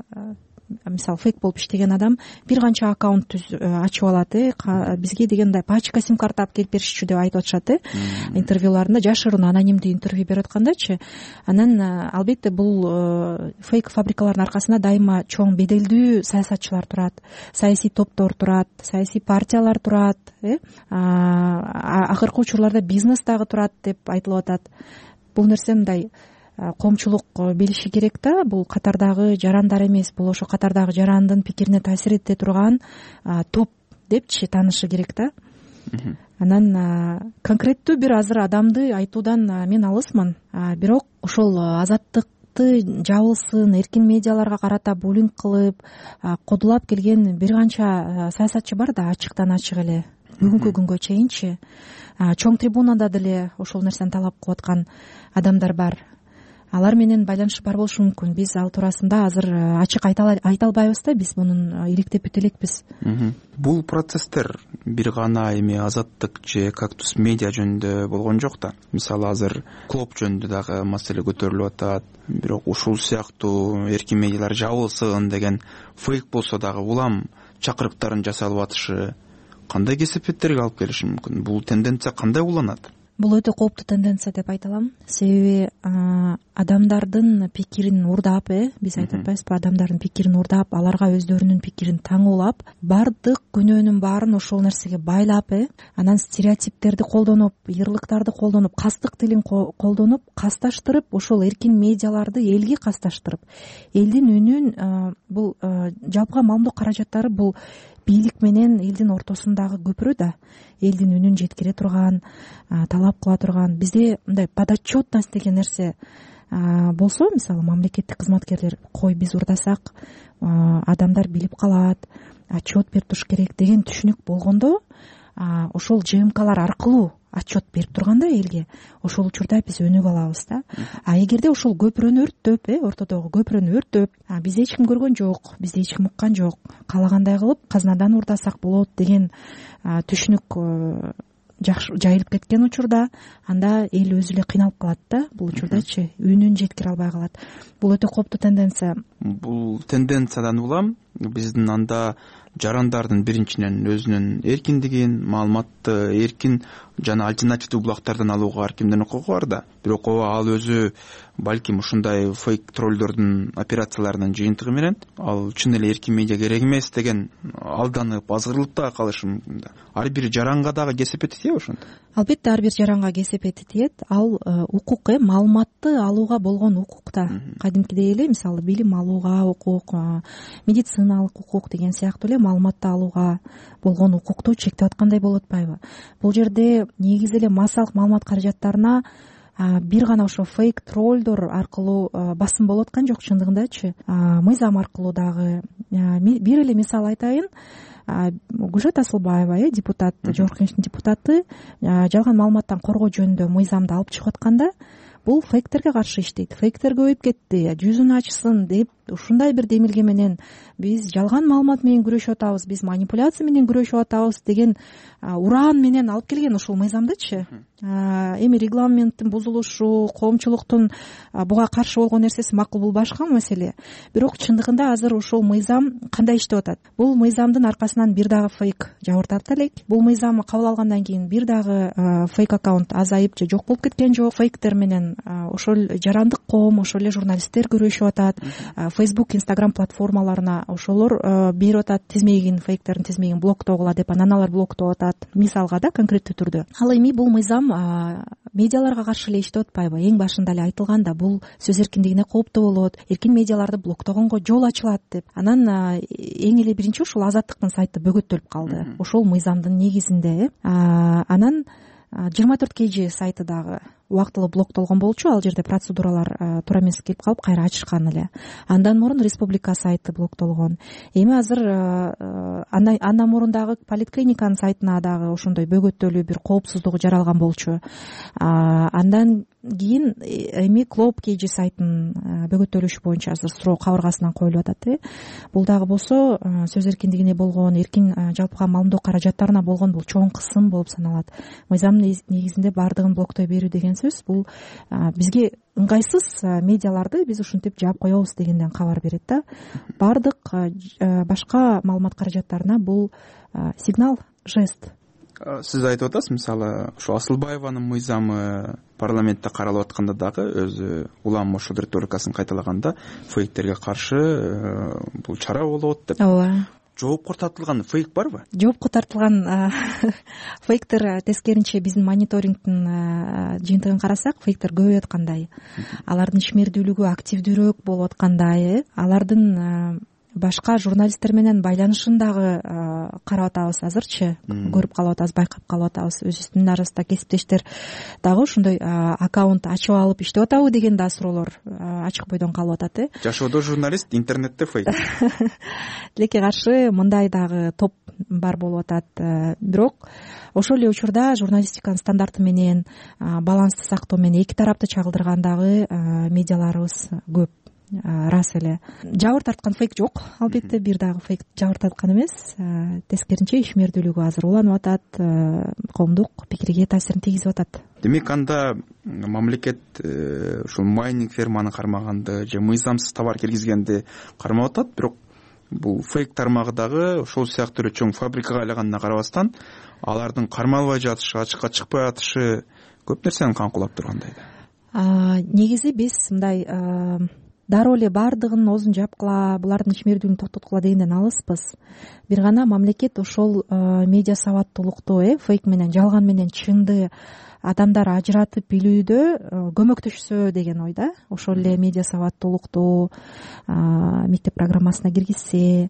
мисалы, фейк болуп иштеген адам бир канча аккаунт ачып алат. Бизге дегендай пачка сим карта алып келип беришчү деп айтып атышат. Интервьюларында жашыруун анонимдүү интервью берип аткандачы. Анан албетте бул фейк фабрикалардын аркасында дайыма чоң беделдүү саясатчылар турат, саясий топтор турат, саясий партиялар турат, акыркы учурларда бизнес дагы турат деп айтылып атат. Бул нерсе мындай коомчулук билиши керек да, бул катардагы жарандар эмес, бул ошо катардагы жарандын пикирине таасир эте турган топ депчи таанышы керек да. Анан конкреттүү бир азыр адамды айтуудан мен алысмын. Бирок ошол азаттыкты жабылсын, эркин медиаларга карата буллинг кылып кодулап келген бир канча саясатчы бар да, ачыктан ачык эле бүгүнкү күнгө чейинчи. Чоң трибунада деле ошол нерсени талап кылып аткан адамдар бар. Алар менен байланыш бар болушу мүмкүн. Биз ал туурасында азыр ачык айта албайбыз да, биз мунун иликтеп бүтө элекпиз. Бул процесстер бир гана эми азаттык же кактус медиа жөнүндө болгон жок да. Мисалы, азыр клоп жөнүндө дагы маселе көтөрүлүп атат. Бирок ушул сыяктуу эркин медиалар жабылсын деген фейк болсо дагы улам чакырыктарын жасалып атышы кандай кесепеттерге алып келиши мүмкүн? Бул тенденция кандай уланат? Бул өтө кооптуу тенденция деп айта алам. Себеби адамдардын пикирин урдап, биз айтып атпайбызбы, адамдардын пикирин урдап, аларга өздөрүнүн пикирин таңуулап, бардык күнөөнүн баарын ошол нерсеге байлап, анан стереотиптерди колдонуп, ыйырлыктарды колдонуп, кастык тилин колдонуп, касташтырып, ошол эркин медиаларды элге касташтырып, элдин үнүн, бул жалпыга маалымдоо каражаттары бул бийлик менен элдин ортосундагы көпүрө да, элдин үнүн жеткире турган, талап кыла турган. Бизде мындай подотчетность деген нерсе болсо, мисалы мамлекеттик кызматкерлер, кой биз урдасак адамдар билип калат, отчет берип туруш керек деген түшүнүк болгондо, ошол ЖМКлар аркылуу отчет берип турганда элге, ошол учурда биз өнүгүп алабыз да. Эгерде ошол көпүрөнү өрттөп, ортодогу көпүрөнү өрттөп, бизди эч ким көргөн жок, бизди эч ким уккан жок, каалагандай кылып казнадан урдасак болот деген түшүнүк жайылып кеткен учурда, анда эл өзү эле кыйналып калат да. Бул учурдачы үнүн жеткире албай калат. Бул өтө кооптуу тенденция. Бул тенденциядан улам биздин анда жарандардын биринчиден өзүнүн эркиндигин, маалыматты эркин жана альтернативдүү булактардан алууга ар кимдин укугу бар да. Бирок ал өзү балким ушундай фейк троллдордун операцияларынын жыйынтыгы менен ал чын эле эркин медиа керек эмес деген алданып, азгырылып дагы калышы мүмкүн да. Ар бир жаранга дагы кесепети тиеби ошондо? Албетте ар бир жаранга кесепети тиет. Ал укук, маалыматты алууга болгон укук да. Кадимкидей эле, мисалы билим алууга укук, медициналык укук деген сыяктуу эле маалыматты алууга болгон укукту чектеп аткандай болуп атпайбы? Бул жерде негизи эле массалык маалымат каражаттарына бир гана ошо фейк троллдор аркылуу басым болуп аткан жок, чындыгындачы. Мыйзам аркылуу дагы. Бир эле мисал айтайын. Гүлшат Асылбаева, депутат, Жогорку Кеңештин депутаты, жалган маалыматтан коргоо жөнүндө мыйзамды алып чыгып атканда, бул фейктерге каршы иштейт. Фейктер көбөйүп кетти, жүзүн ачсын деп ушундай бир демилге менен биз жалган маалымат менен күрөшүп атабыз, биз манипуляция менен күрөшүп атабыз деген ураан менен алып келген ушул мыйзамдычы. Эми регламенттин бузулушу, коомчулуктун буга каршы болгон нерсеси макул, бул башка маселе. Бирок чындыгында азыр ушул мыйзам кандай иштеп атат? Бул мыйзамдын аркасынан бир дагы фейк жабыртат элек. Бул мыйзам кабыл алгандан кийин бир дагы фейк аккаунт азайып же жок болуп кеткен жок. Фейктер менен ошол жарандык коом, ошол эле журналисттер күрөшүп атат. Facebook, Instagram платформаларына ошолор берип атат тизмегин, фейктердин тизмегин блоктогула деп, анан алар блоктоп атат. Мисалга да, конкреттүү түрдө. Ал эми бул мыйзам медиаларга каршы эле иштеп атпайбы? Эң башында эле айтылганда бул сөз эркиндигине кооптуу болот, эркин медиаларды блоктогонго жол ачылат деп. Анан эң эле биринчи ушул Азаттыктын сайты бөгөттөлүп калды. Ошол мыйзамдын негизинде. Анан 24 KG сайты дагы убактылуу блоктолгон болчу. Ал жерде процедуралар туура эмес келип калып, кайра ачышкан эле. Андан мурун Республика сайты блоктолгон. Эми азыр андан мурун дагы поликлиниканын сайтына дагы ошондой бөгөттөлүү бир коопсуздугу жаралган болчу. Андан кийин эми Клоп KG сайтынын бөгөттөлүшү боюнча азыр суроо кабыргасынан коюлуп атат. Бул дагы болсо сөз эркиндигине болгон, эркин жалпыга маалымдоо каражаттарына болгон бул чоң кысым болуп саналат. Мыйзамдын негизинде баардыгын блоктой берүү деген сөз бул бизге ыңгайсыз медиаларды биз ушинтип жаап коебуз дегенден кабар берет да. Баардык башка маалымат каражаттарына бул сигнал, жест. Сиз айтып атасыз, мисалы, ушу Асылбаеванын мыйзамы парламентте каралып атканда дагы өзү улам ошол риторикасын кайталаганда фейктерге каршы бул чара болот деп. Ооба. Жоопко тартылган фейк барбы? Жоопко тартылган фейктер тескеринче биздин мониторингдин жыйынтыгын карасак, фейктер көбөйүп аткандай. Алардын ишмердүүлүгү активдүүрөөк болуп аткандай, алардын башка журналисттер менен байланышын дагы карап атабыз азырчы, көрүп калып атабыз, байкап калып атабыз. Өзүбүздүн арасында кесиптештер дагы ошондой аккаунт ачып алып иштеп атабы деген да суроолор ачык бойдон калып атат. Жашоодо журналист, интернетте фейк. Тилекке каршы мындай дагы топ бар болуп атат. Бирок ошол эле учурда журналистиканын стандарты менен, балансты сактоо менен эки тарапты чагылдырган дагы медиаларыбыз көп. Рас эле. Жабыр тарткан фейк жок. Албетте бир дагы фейк жабыр тарткан эмес. Тескеринче ишмердүүлүгү азыр уланып атат, коомдук пикирге таасирин тийгизип атат. Демек анда мамлекет ушул майнинг ферманы кармаганды же мыйзамсыз товар киргизгенди кармап атат, бирок бул фейк тармагы дагы ошол сыяктуу эле чоң фабрикага айланганына карабастан алардын кармалбай жатышы, ачыкка чыкпай жатышы көп нерсени каңкулап тургандай да. Негизи биз мындай дароо эле баардыгын оозун жапкыла, булардын ичмердүүлүгүн токтоткула дегенден алыспыз. Бир гана мамлекет ошол медиа сабаттуулукту фейк менен жалган менен чынды адамдар ажыратып билүүдө көмөктөшсө деген ойда. Ошол эле медиа сабаттуулукту мектеп программасына киргизсе,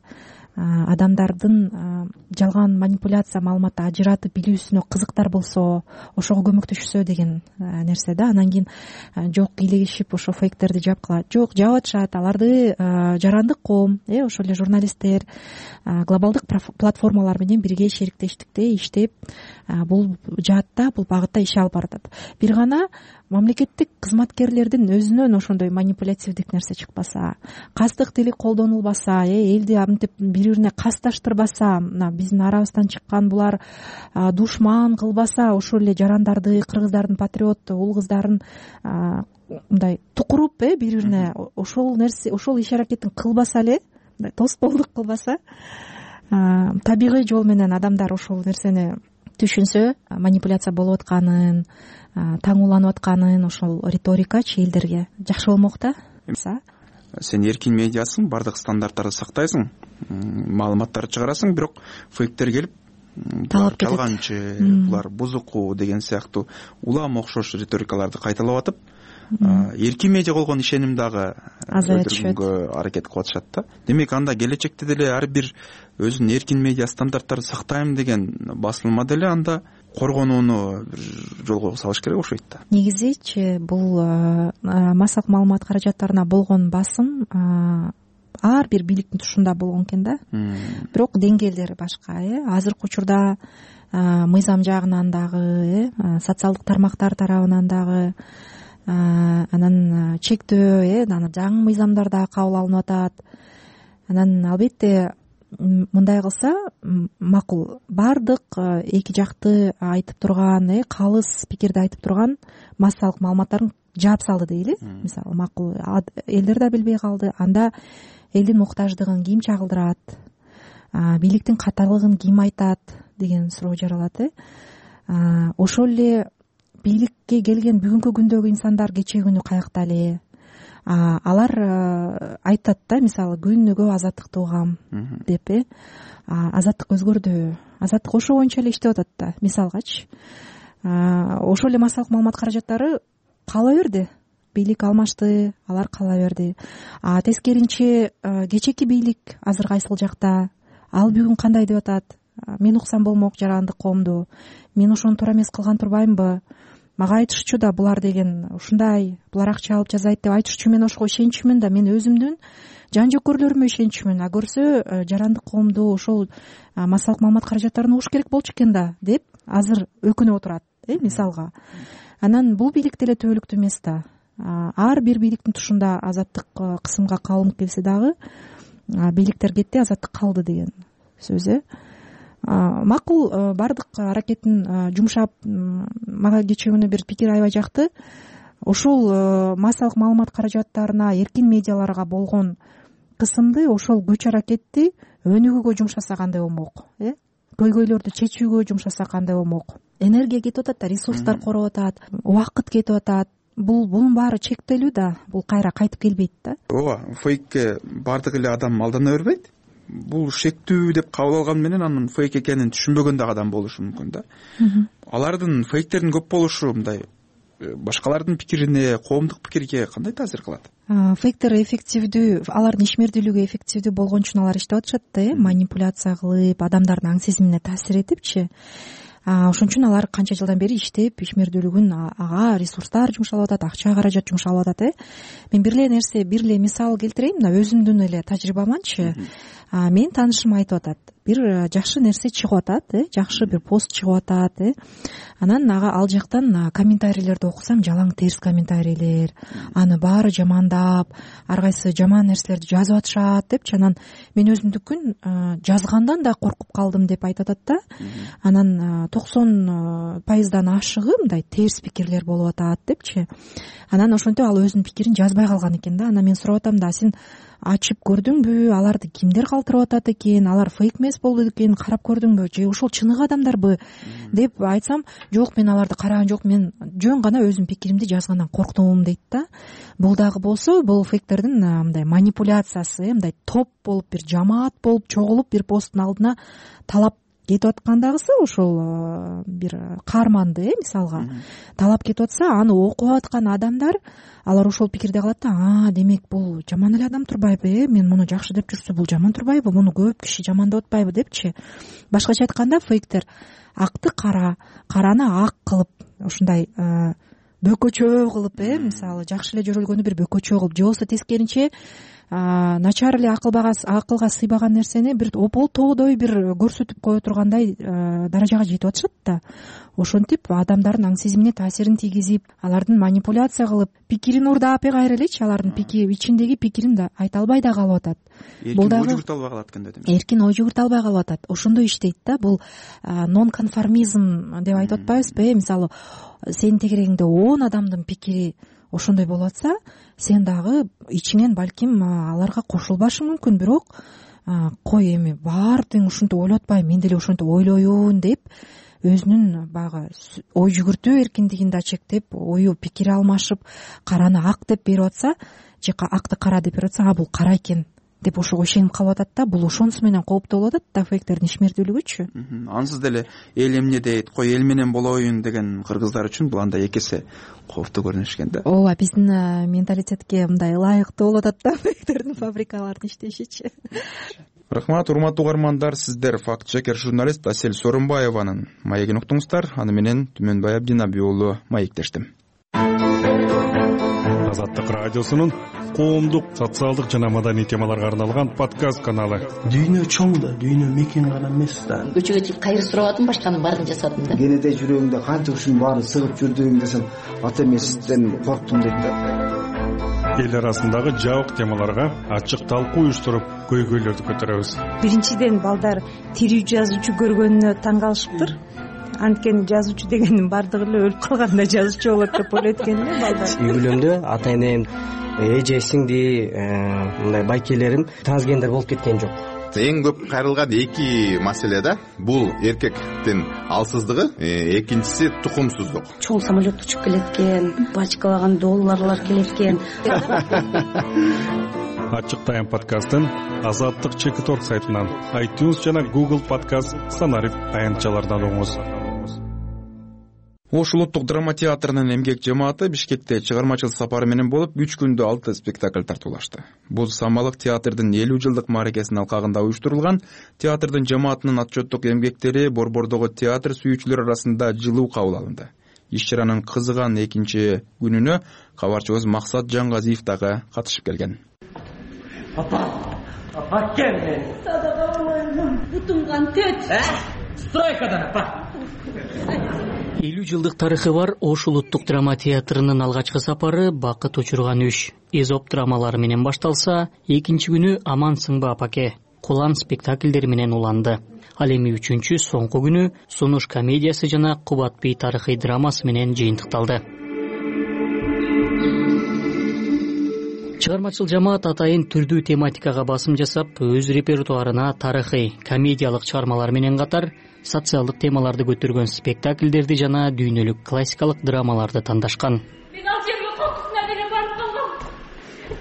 адамдардын жалган манипуляция маалыматты ажыратып билүүсүнө кызыктар болсо, ошого көмөктөшсө деген нерсе да. Анан кийин жок кийлигишип ошо фейктерди жапкыла. Жок, жаап атышат. Аларды жарандык коом, ошол эле журналисттер глобалдык платформалар менен бирге шериктештикте иштеп бул жаатта, бул багытта иш алып баратат. Бир гана мамлекеттик кызматкерлердин өзүнөн ошондой манипулятивдик нерсе чыкпаса, кастык тили колдонулбаса, элди мынтип бири-бирине касташтырбаса, мына биздин арабыздан чыккан булар душман кылбаса, ошол эле жарандарды, кыргыздардын патриот уул кыздарын мындай тукуруп бири-бирине ошол нерсе, ошол иш аракетин кылбаса эле, мындай тоскоолдук кылбаса, табигый жол менен адамдар ошол нерсени түшүнсө, манипуляция болуп атканын, таңууланып атканын, ошол риторикачы элдерге жакшы болмок да. Сен эркин медиасың, бардык стандарттарды сактайсың, маалыматтарды чыгарасың, бирок фейктер келип жалганчы, булар бузуку деген сыяктуу улам окшош риторикаларды кайталап атып, эркин медиа болгон ишеним дагы өлтүргөнгө аракет кылып атышат да. Демек анда келечекте деле ар бир өзүнүн эркин медиа стандарттарын сактайм деген басылма деле анда коргонууну бир жолго салыш керек окшойт да. Негизичи бул массалык маалымат каражаттарына болгон басым ар бир бийликтин тушунда болгон экен да. Бирок деңгээлдери башка. Азыркы учурда мыйзам жагынан дагы, социалдык тармактар тарабынан дагы, анан чектөө, жаңы мыйзамдар дагы кабыл алынып атат. Анан албетте мындай кылса макул. Бардык эки жакты айтып турган, калыс пикирди айтып турган массалык маалыматтарын жаап салды дейли. Мисалы, макул элдер да билбей калды. Анда элдин муктаждыгын ким чагылдырат, бийликтин катарлыгын ким айтат деген суроо жаралат. Ошол эле бийликке келген бүгүнкү күндөгү инсандар кечээ күнү каякта эле, алар айтат да, мисалы, күнүгө азаттыкты угам деп, азаттык өзгөрдү, азаттык ошо боюнча эле иштеп атат да, мисалгачы. Ошол эле массалык маалымат каражаттары кала берди, бийлик алмашты, алар кала берди. Тескеринче кечээки бийлик азыр кайсыл жакта, ал бүгүн кандай деп атат, мен уксам болмок жарандык коомду, мен ошону туура эмес кылган турбаймынбы, мага айтышчу да булар деген ушундай, булар акча алып жазайт деп айтышчу, мен ошого ишенчүмүн да, мен өзүмдүн жан жөкөрлөрүмө ишенчүмүн, көрсө жарандык коомду ошол массалык маалымат каражаттарын угуш керек болчу экен да деп азыр өкүнүп отурат, мисалга. Анан бул бийлик деле төбөлүктүү эмес да. Ар бир бийликтин тушунда азаттык кысымга калынып келсе дагы бийликтер кетти, азаттык калды деген сөз. Макул, бардык аракетин жумшап, мага кечээ күнү бир пикир аябай жакты. Ошол массалык маалымат каражаттарына, эркин медиаларга болгон кысымды, ошол күч аракетти өнүгүүгө жумшаса кандай болмок, көйгөйлөрдү чечүүгө жумшаса кандай болмок. Энергия кетип атат да, ресурстар короп атат, убакыт кетип атат. Бунун баары чектелүү да, бул кайра кайтып келбейт да. Ооба, фейкке бардык эле адам алдана бербейт. Бул шектүү деп кабыл алган менен анын фейк экенин түшүнбөгөн дагы адам болушу мүмкүн да. Алардын, фейктердин көп болушу мындай башкалардын пикирине, коомдук пикирге кандай таасир кылат? Фейктер эффективдүү, алардын ишмердүүлүгү эффективдүү болгон үчүн алар иштеп атышат да, манипуляция кылып, адамдардын аң сезимине таасир этипчи. Ошон үчүн алар канча жылдан бери иштеп, ишмердүүлүгүн ага ресурстар жумшалып атат, акча каражат жумшалып атат. Мен бир эле мисал келтирейин, мына өзүмдүн эле тажрыйбаманчы. Менин таанышым айтып атат, бир жакшы нерсе чыгып атат, жакшы бир пост чыгып атат, анан ал жактан комментарийлерди окусам, жалаң терс комментарийлер, аны баары жамандап, ар кайсы жаман нерселерди жазып атышат депчи. Анан мен өзүмдүкүн жазгандан да коркуп калдым деп айтып атат да. Анан 90% ашыгы мындай терс пикирлер болуп атат депчи. Анан ошентип ал өзүнүн пикирин жазбай калган экен да. Анан мен сурап атам да, сен ачып көрдүңбү, аларды кимдер калтырып атат экен, алар фейк эмес болду экен, карап көрдүңбү же ошол чыныгы адамдарбы деп айтсам, жок мен аларды караган жок, мен жөн гана өзүмдүн пикиримди жазгандан корктум дейт да. Бул дагы болсо бул фейктердин мындай манипуляциясы, мындай топ болуп бир жамаат болуп чогулуп бир посттун алдына талап кетип аткандагысы ошол бир каарманды мисалга талап кетип атса, аны окуп аткан адамдар алар ошол пикирде калат да, демек бул жаман эле адам турбайбы, мен муну жакшы деп жүрсө бул жаман турбайбы, муну көп киши жамандап атпайбы депчи. Башкача айтканда фейктер акты кара, караны ак кылып, ушундай бөкөчө кылып, мисалы жакшы эле жөрөлгөнү бир бөкөчө кылып, же болбосо тескеринче начар эле акылга сыйбаган нерсени бир ополтоодой бир көрсөтүп кое тургандай даражага жетип атышат да. Ошентип адамдардын аң сезимине таасирин тийгизип, алардын манипуляция кылып, пикирин уурдап кайра элечи, алардын ичиндеги пикирин да айта албай да калып атат. Бул дагы ой жүгүртө албай калат экен да, демек. Эркин ой жүгүртө албай калып атат. Ошондой иштейт да. Бул нон-конформизм деп айтып атпайбызбы? Мисалы, сенин тегерегиңде 10 адамдын пикири ошондой болуп атса, сен дагы ичинен балким аларга кошулбашың мүмкүн, бирок кой эми баары тең ушинтип ойлоп атпайбы, мен деле ошентип ойлойюн деп өзүнүн баягы ой жүгүртүү эркиндигин да чектеп, ою пикир алмашып, караны ак деп берип атса же акты кара деп берип атса, бул кара экен деп ошого ишенип калып атат да. Бул ошонусу менен кооптуу болуп атат да, фейктердин ишмердүүлүгүчү. Ансыз деле эл эмне дейт, кой эл менен болоюн деген кыргыздар үчүн бул андай экесе кооптуу көрүнүш экен да. Ооба, биздин менталитетке мындай ылайыктуу болуп атат да фейктердин фабрикалардын иштешичи. Рахмат, урматтуу угармандар, сиздер факт чекер журналист Асель Сооронбаеванын маегин уктуңуздар. Аны менен Түмөнбай Абдинаби уулу маектештим. Азаттык радиосунун коомдук, социалдык жана маданий темаларга арналган подкаст каналы. Дүйнө чоң да, дүйнө мекен гана эмес да. Көчөгө чыгып кайыр сурабадым, башканын баарын жасадым да. Кенеде жүрөгүңдө канча ушунун баарын сыгып жүрдүң десем, ата эмесизден корктум дейт да. Эл арасындагы жабык темаларга ачык талкуу уюштуруп, көйгөйлөрдү көтөрөбүз. Биринчиден балдар тирүү жазуучу көргөнүнө таң калышыптыр. Анткени жазуучу дегендин баардыгы эле өлүп калганда жазуучу болот деп ойлойт экен да балдар. Үй бүлөмдө ата энем, эже, сиңди, мындай байкелерим трансгендер болуп кеткен жок. Эң көп кайрылган эки маселе да, бул эркектин алсыздыгы, экинчиси тукумсуздук. Чоң самолет учуп келеткен, бачкалаган долларлар келеткен. Ачык тайм подкастын Азаттык Чекиторг сайтынан, iTunes жана Google подкаст Санарип аянтчалардан угуңуз. Ош улуттук драма театрынын эмгек жамааты Бишкекте чыгармачыл сапары менен болуп 3 күндө 6 спектакль тартуулашты. Бул Самалык театрдын 50 жылдык мааракесинин алкагында уюштурулган. Театрдын жамаатынын отчеттук эмгектери борбордогу театр сүйүүчүлөр арасында жылуу кабыл алынды. Иш-чаранын кызыган экинчи күнүнө кабарчыбыз Максат Жангазиев дагы катышып келген. Апа келди. Бутуңган төт. Стройкадан апа. 50 жылдык тарыхы бар Ош улуттук драма театрынын алгачкы сапары бакыт учурган үш Эзоп драмалары менен башталса, экинчи күнү Аман сыңба апаке, Кулан спектакльдери менен уланды. Ал эми үчүнчү соңку күнү Сунуш комедиясы жана Кубат бей тарыхый драмасы менен жыйынтыкталды. Чыгармачыл жамаат атайын түрдүү тематикага басым жасап, өз репертуарына тарыхый, комедиялык чыгармалар менен катар социалдык темаларды көтөргөн спектакльдерди жана дүйнөлүк классикалык драмаларды тандашкан. Мен ал жерге кокусуна деле барып калгам.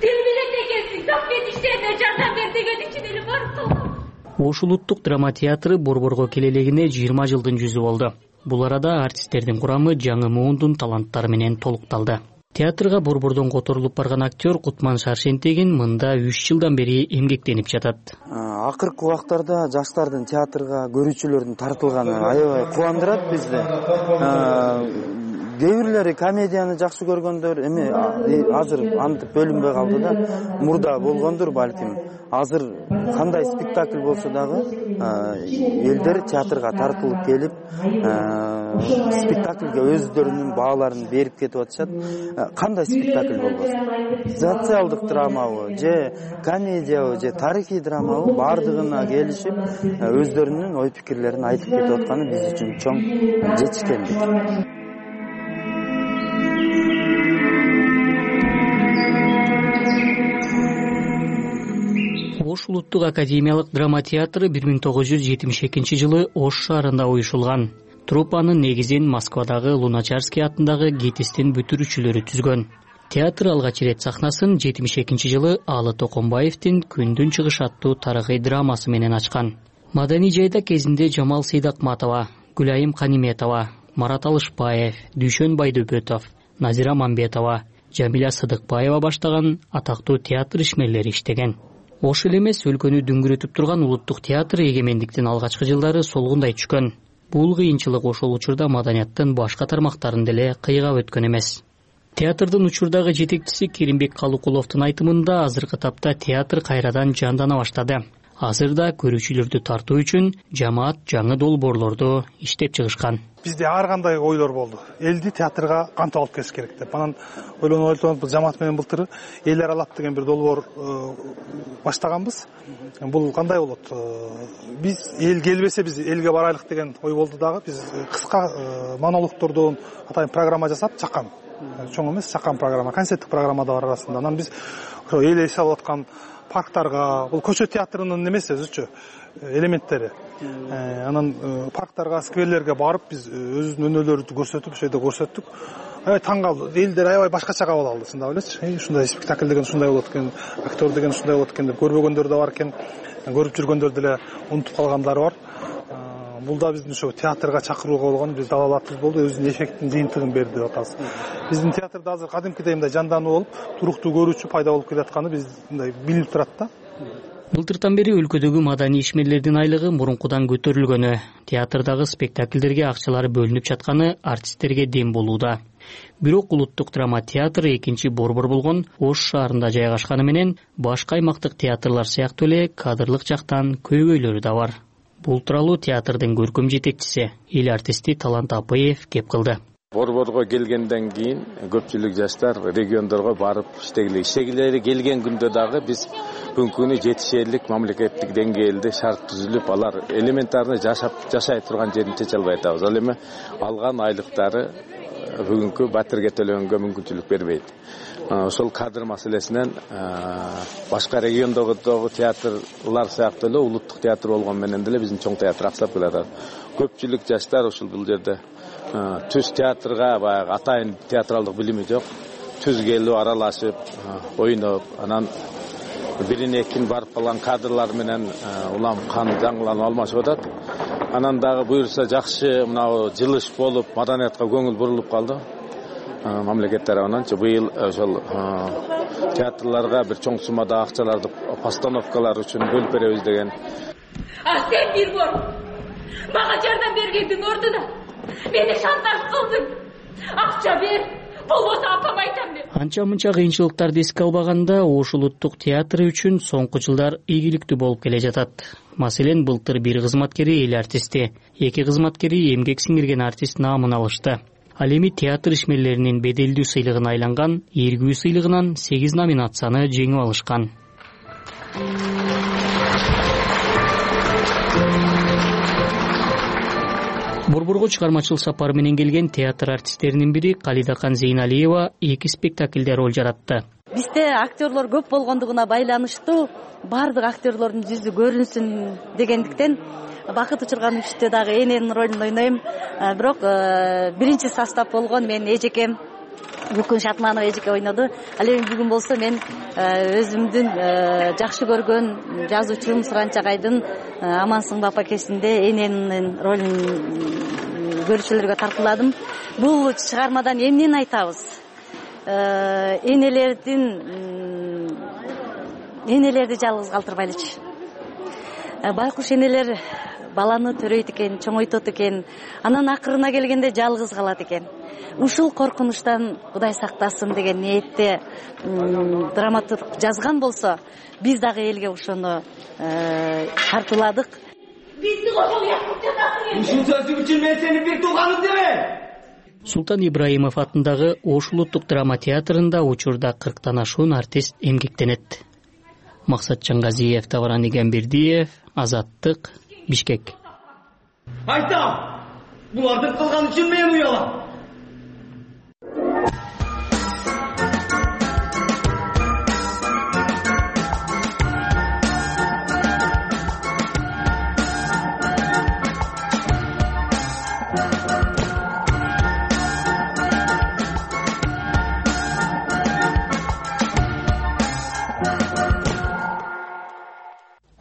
Тил билет экенсиң, так мен иштерине жардам бер деген үчүн эле барып калгам. Ош улуттук драма театры борборго келелегине 20 жылдын жүзү болду. Бул арада артисттердин курамы жаңы муундун таланттары менен толукталды. Театрга борбордон которулуп барган актер Кутман Шаршентегин мында 3 жылдан бери эмгектенип жатат. Акыркы убактарда жаштардын театрга көрүүчүлөрдүн тартылганы аябай кубандырат бизди. Кээ бирлери комедияны жакшы көргөндөр, эми азыр антип бөлүнбөй калды да, мурда болгондур балким. Азыр кандай спектакль болсо дагы элдер театрга тартылып келип, спектакльге өздөрүнүн бааларын берип кетип атышат. Кандай спектакль болбосун? Социалдык драмабы, же комедиябы, же тарыхый драмабы бардыгына келишип, өздөрүнүн ой пикирлерин айтып кетип атканы биз үчүн чоң жетишкендик. Ош улуттук академиялык драма театры 1972-жылы Ош шаарында уюшулган. Труппанын негизин Москвадагы Луначарский атындагы ГИТИСтин бүтүрүүчүлөрү түзгөн. Театр алгач ирет сахнасын 72-жылы Алы Токомбаевдин Күндүн чыгышы аттуу тарыхый драмасы менен ачкан. Маданий жайда кезинде Жамал Сейдакматова, Гүлайым Каниметова, Марат Алышбаев, Дүйшөн Байдөбөтов, Назира Мамбетова, Жамиля Сыдыкбаева баштаган атактуу театр ишмерлери иштеген. Ош эле эмес, өлкөнү дүңгүрөтүп турган улуттук театр эгемендиктин алгачкы жылдары солгундай түшкөн. Бул кыйынчылык ошол учурда маданияттын башка тармактарын деле кыйгап өткөн эмес. Театрдын учурдагы жетекчиси Керимбек Калукуловдун айтымында азыркы тапта театр кайрадан жандана баштады. Азырда көрүүчүлөрдү тартуу үчүн жамаат жаңы долбоорлорду иштеп чыгышкан. Бизде ар кандай ойлор болду. Элди театрга кантип алып келиш керек деп. Анан ойлонуп жамаат менен былтыр эл аралап деген бир долбоор баштаганбыз. Бул кандай болот? Биз эл келбесе биз элге барайлык деген ой болду дагы. Биз кыска монологтордон атайын программа жасап чаккан. Чоң эмес, чаккан программа, концерттик программа да бар арасында. Анан биз ошо эл эшалып аткан парктарга, бул көчө театрынын эмеси өзүчө элементтери. Анан парктарга, скверлерге барып биз өзүбүздүн өнөөлөрүбүздү көрсөтүп, ошол жерде көрсөттүк. Аябай таң калды. Элдер аябай башкача кабыл алды, чындап элечи. Ушундай спектакль деген ушундай болот экен, актер деген ушундай болот экен деп көрбөгөндөр да бар экен. Көрүп жүргөндөр деле унутуп калгандары бар. Бул да биздин ошо театрга чакырууга болгон биз далалатыбыз болду, өзүнүн эффектин жыйынтыгын берди деп атабыз. Биздин театрда азыр кадимкидей мындай жандануу болуп, туруктуу көрүүчү пайда болуп келатканы биз мындай билип турат да. Былтыртан бери өлкөдөгү маданий ишмерлердин айлыгы мурункудан көтөрүлгөнү, театрдагы спектакльдерге акчалары бөлүнүп жатканы артисттерге дем болууда. Бирок улуттук драма театры экинчи борбор болгон Ош шаарында жайгашканы менен башка аймактык театрлар сыяктуу эле кадрлык жактан көйгөйлөрү да бар. Бул тууралуу театрдын көркөм жетекчиси, эл артисти Талант Апыев кеп кылды. Борборго келгенден кийин көпчүлүк жаштар региондорго барып иштегилери келген күндө дагы биз бүгүнкү күнү жетишерлик мамлекеттик деңгээлде шарт түзүлүп, алар элементарный жашай турган жерин чече албай атабыз. Ал эми алган айлыктары бүгүнкү батирге төлөгөнгө мүмкүнчүлүк бербейт. Ошол кадр маселесинен башка региондогу театрлар сыяктуу эле улуттук театр болгон менен деле биздин чоң театр аксап келатат. Көпчүлүк жаштар ушул бул жерде түз театрга баягы атайын театралдык билими жок, түз келип аралашып, ойноп, анан бирине экин барып калган кадрлар менен улам жаңыланып алмашып атат. Анан дагы буюрса жакшы мына жылыш болуп, маданиятка көңүл бурулуп калды. Мамлекет тарабынан быйыл ошол театрларга бир чоң суммада акчаларды постановкалар үчүн бөлүп беребиз деген. Сен бир бор мага жардам бергендин ордуна мени шантаж кылдың. Акча бер, болбосо апам айтам деп. Анча-мынча кыйынчылыктарды эске албаганда Ош улуттук театры үчүн соңку жылдар ийгиликтүү болуп келе жатат. Маселен, былтыр бир кызматкери эл артисти, эки кызматкери эмгек сиңирген артист наамын алышты. Ал эми театр ишмерлеринин беделдүү сыйлыгына айланган Эргүү сыйлыгынан 8 номинацияны жеңип алышкан. Борборго чыгармачылык сапары менен келген театр артисттеринин бири Калидакан Зейналиева 2 спектакльде роль жаратты. Бизде актерлор көп болгондугуна байланыштуу баардык актерлордун жүзү көрүнсүн дегендиктен Бакыт Учургановичте дагы эненин ролун ойнойм. Бирок биринчи состав болгон мен эжекем Гүлкүн Шатманова эжеке ойноду. Ал эми бүгүн болсо мен өзүмдүн жакшы көргөн жазуучум Суранчагайдын Амансыңбы апакесинде эненин ролун көрүүчүлөргө тартууладым. Бул чыгармадан эмнени айтабыз? Энелерди жалгыз калтырбайлычы. Байкуш энелер баланы төрөйт экен, чоңойтот экен, анан акырына келгенде жалгыз калат экен. Ушул коркунучтан Кудай сактасын деген ниетте драматург жазган болсо, биз дагы элге ошону тартууладык. Бизди кошо уяткып жатасың. Ушул сөзүң үчүн мен сени бир тууганым деме. Султан Ибраимов атындагы Ош улуттук драма театрында учурда 40тан ашуун артист эмгектенет. Максатжан Газиев, Тавран Игенбердиев, Азаттык, Бишкек. Айтам, буларды кылган үчүн мен уялам.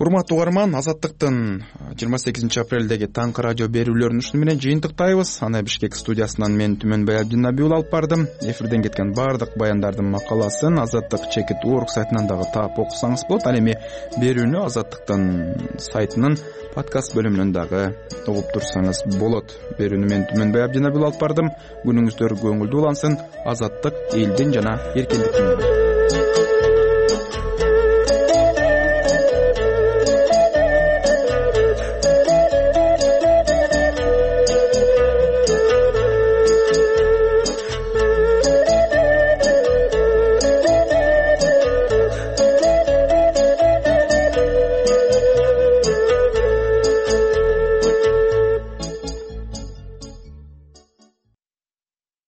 урматтуу угарман, Азаттыктын 28 апрелдеги таңкы радио берүүлөрүн ушуну менен жыйынтыктайбыз. Аны Бишкек студиясынан мен Түмөнбай Абдинабий уулу алып бардым. Эфирден кеткен баардык баяндардын макаласын Азаттык /org сайтынан дагы таап окусаңыз болот. Ал эми берүүнү Азаттыктын сайтынын подкаст бөлүмүнөн дагы угуп турсаңыз болот. Берүүнү мен Түмөнбай Абдинабий уулу алып бардым. Күнүңүздөр көңүлдүү улансын. Азаттык элдин жана эркиндиктин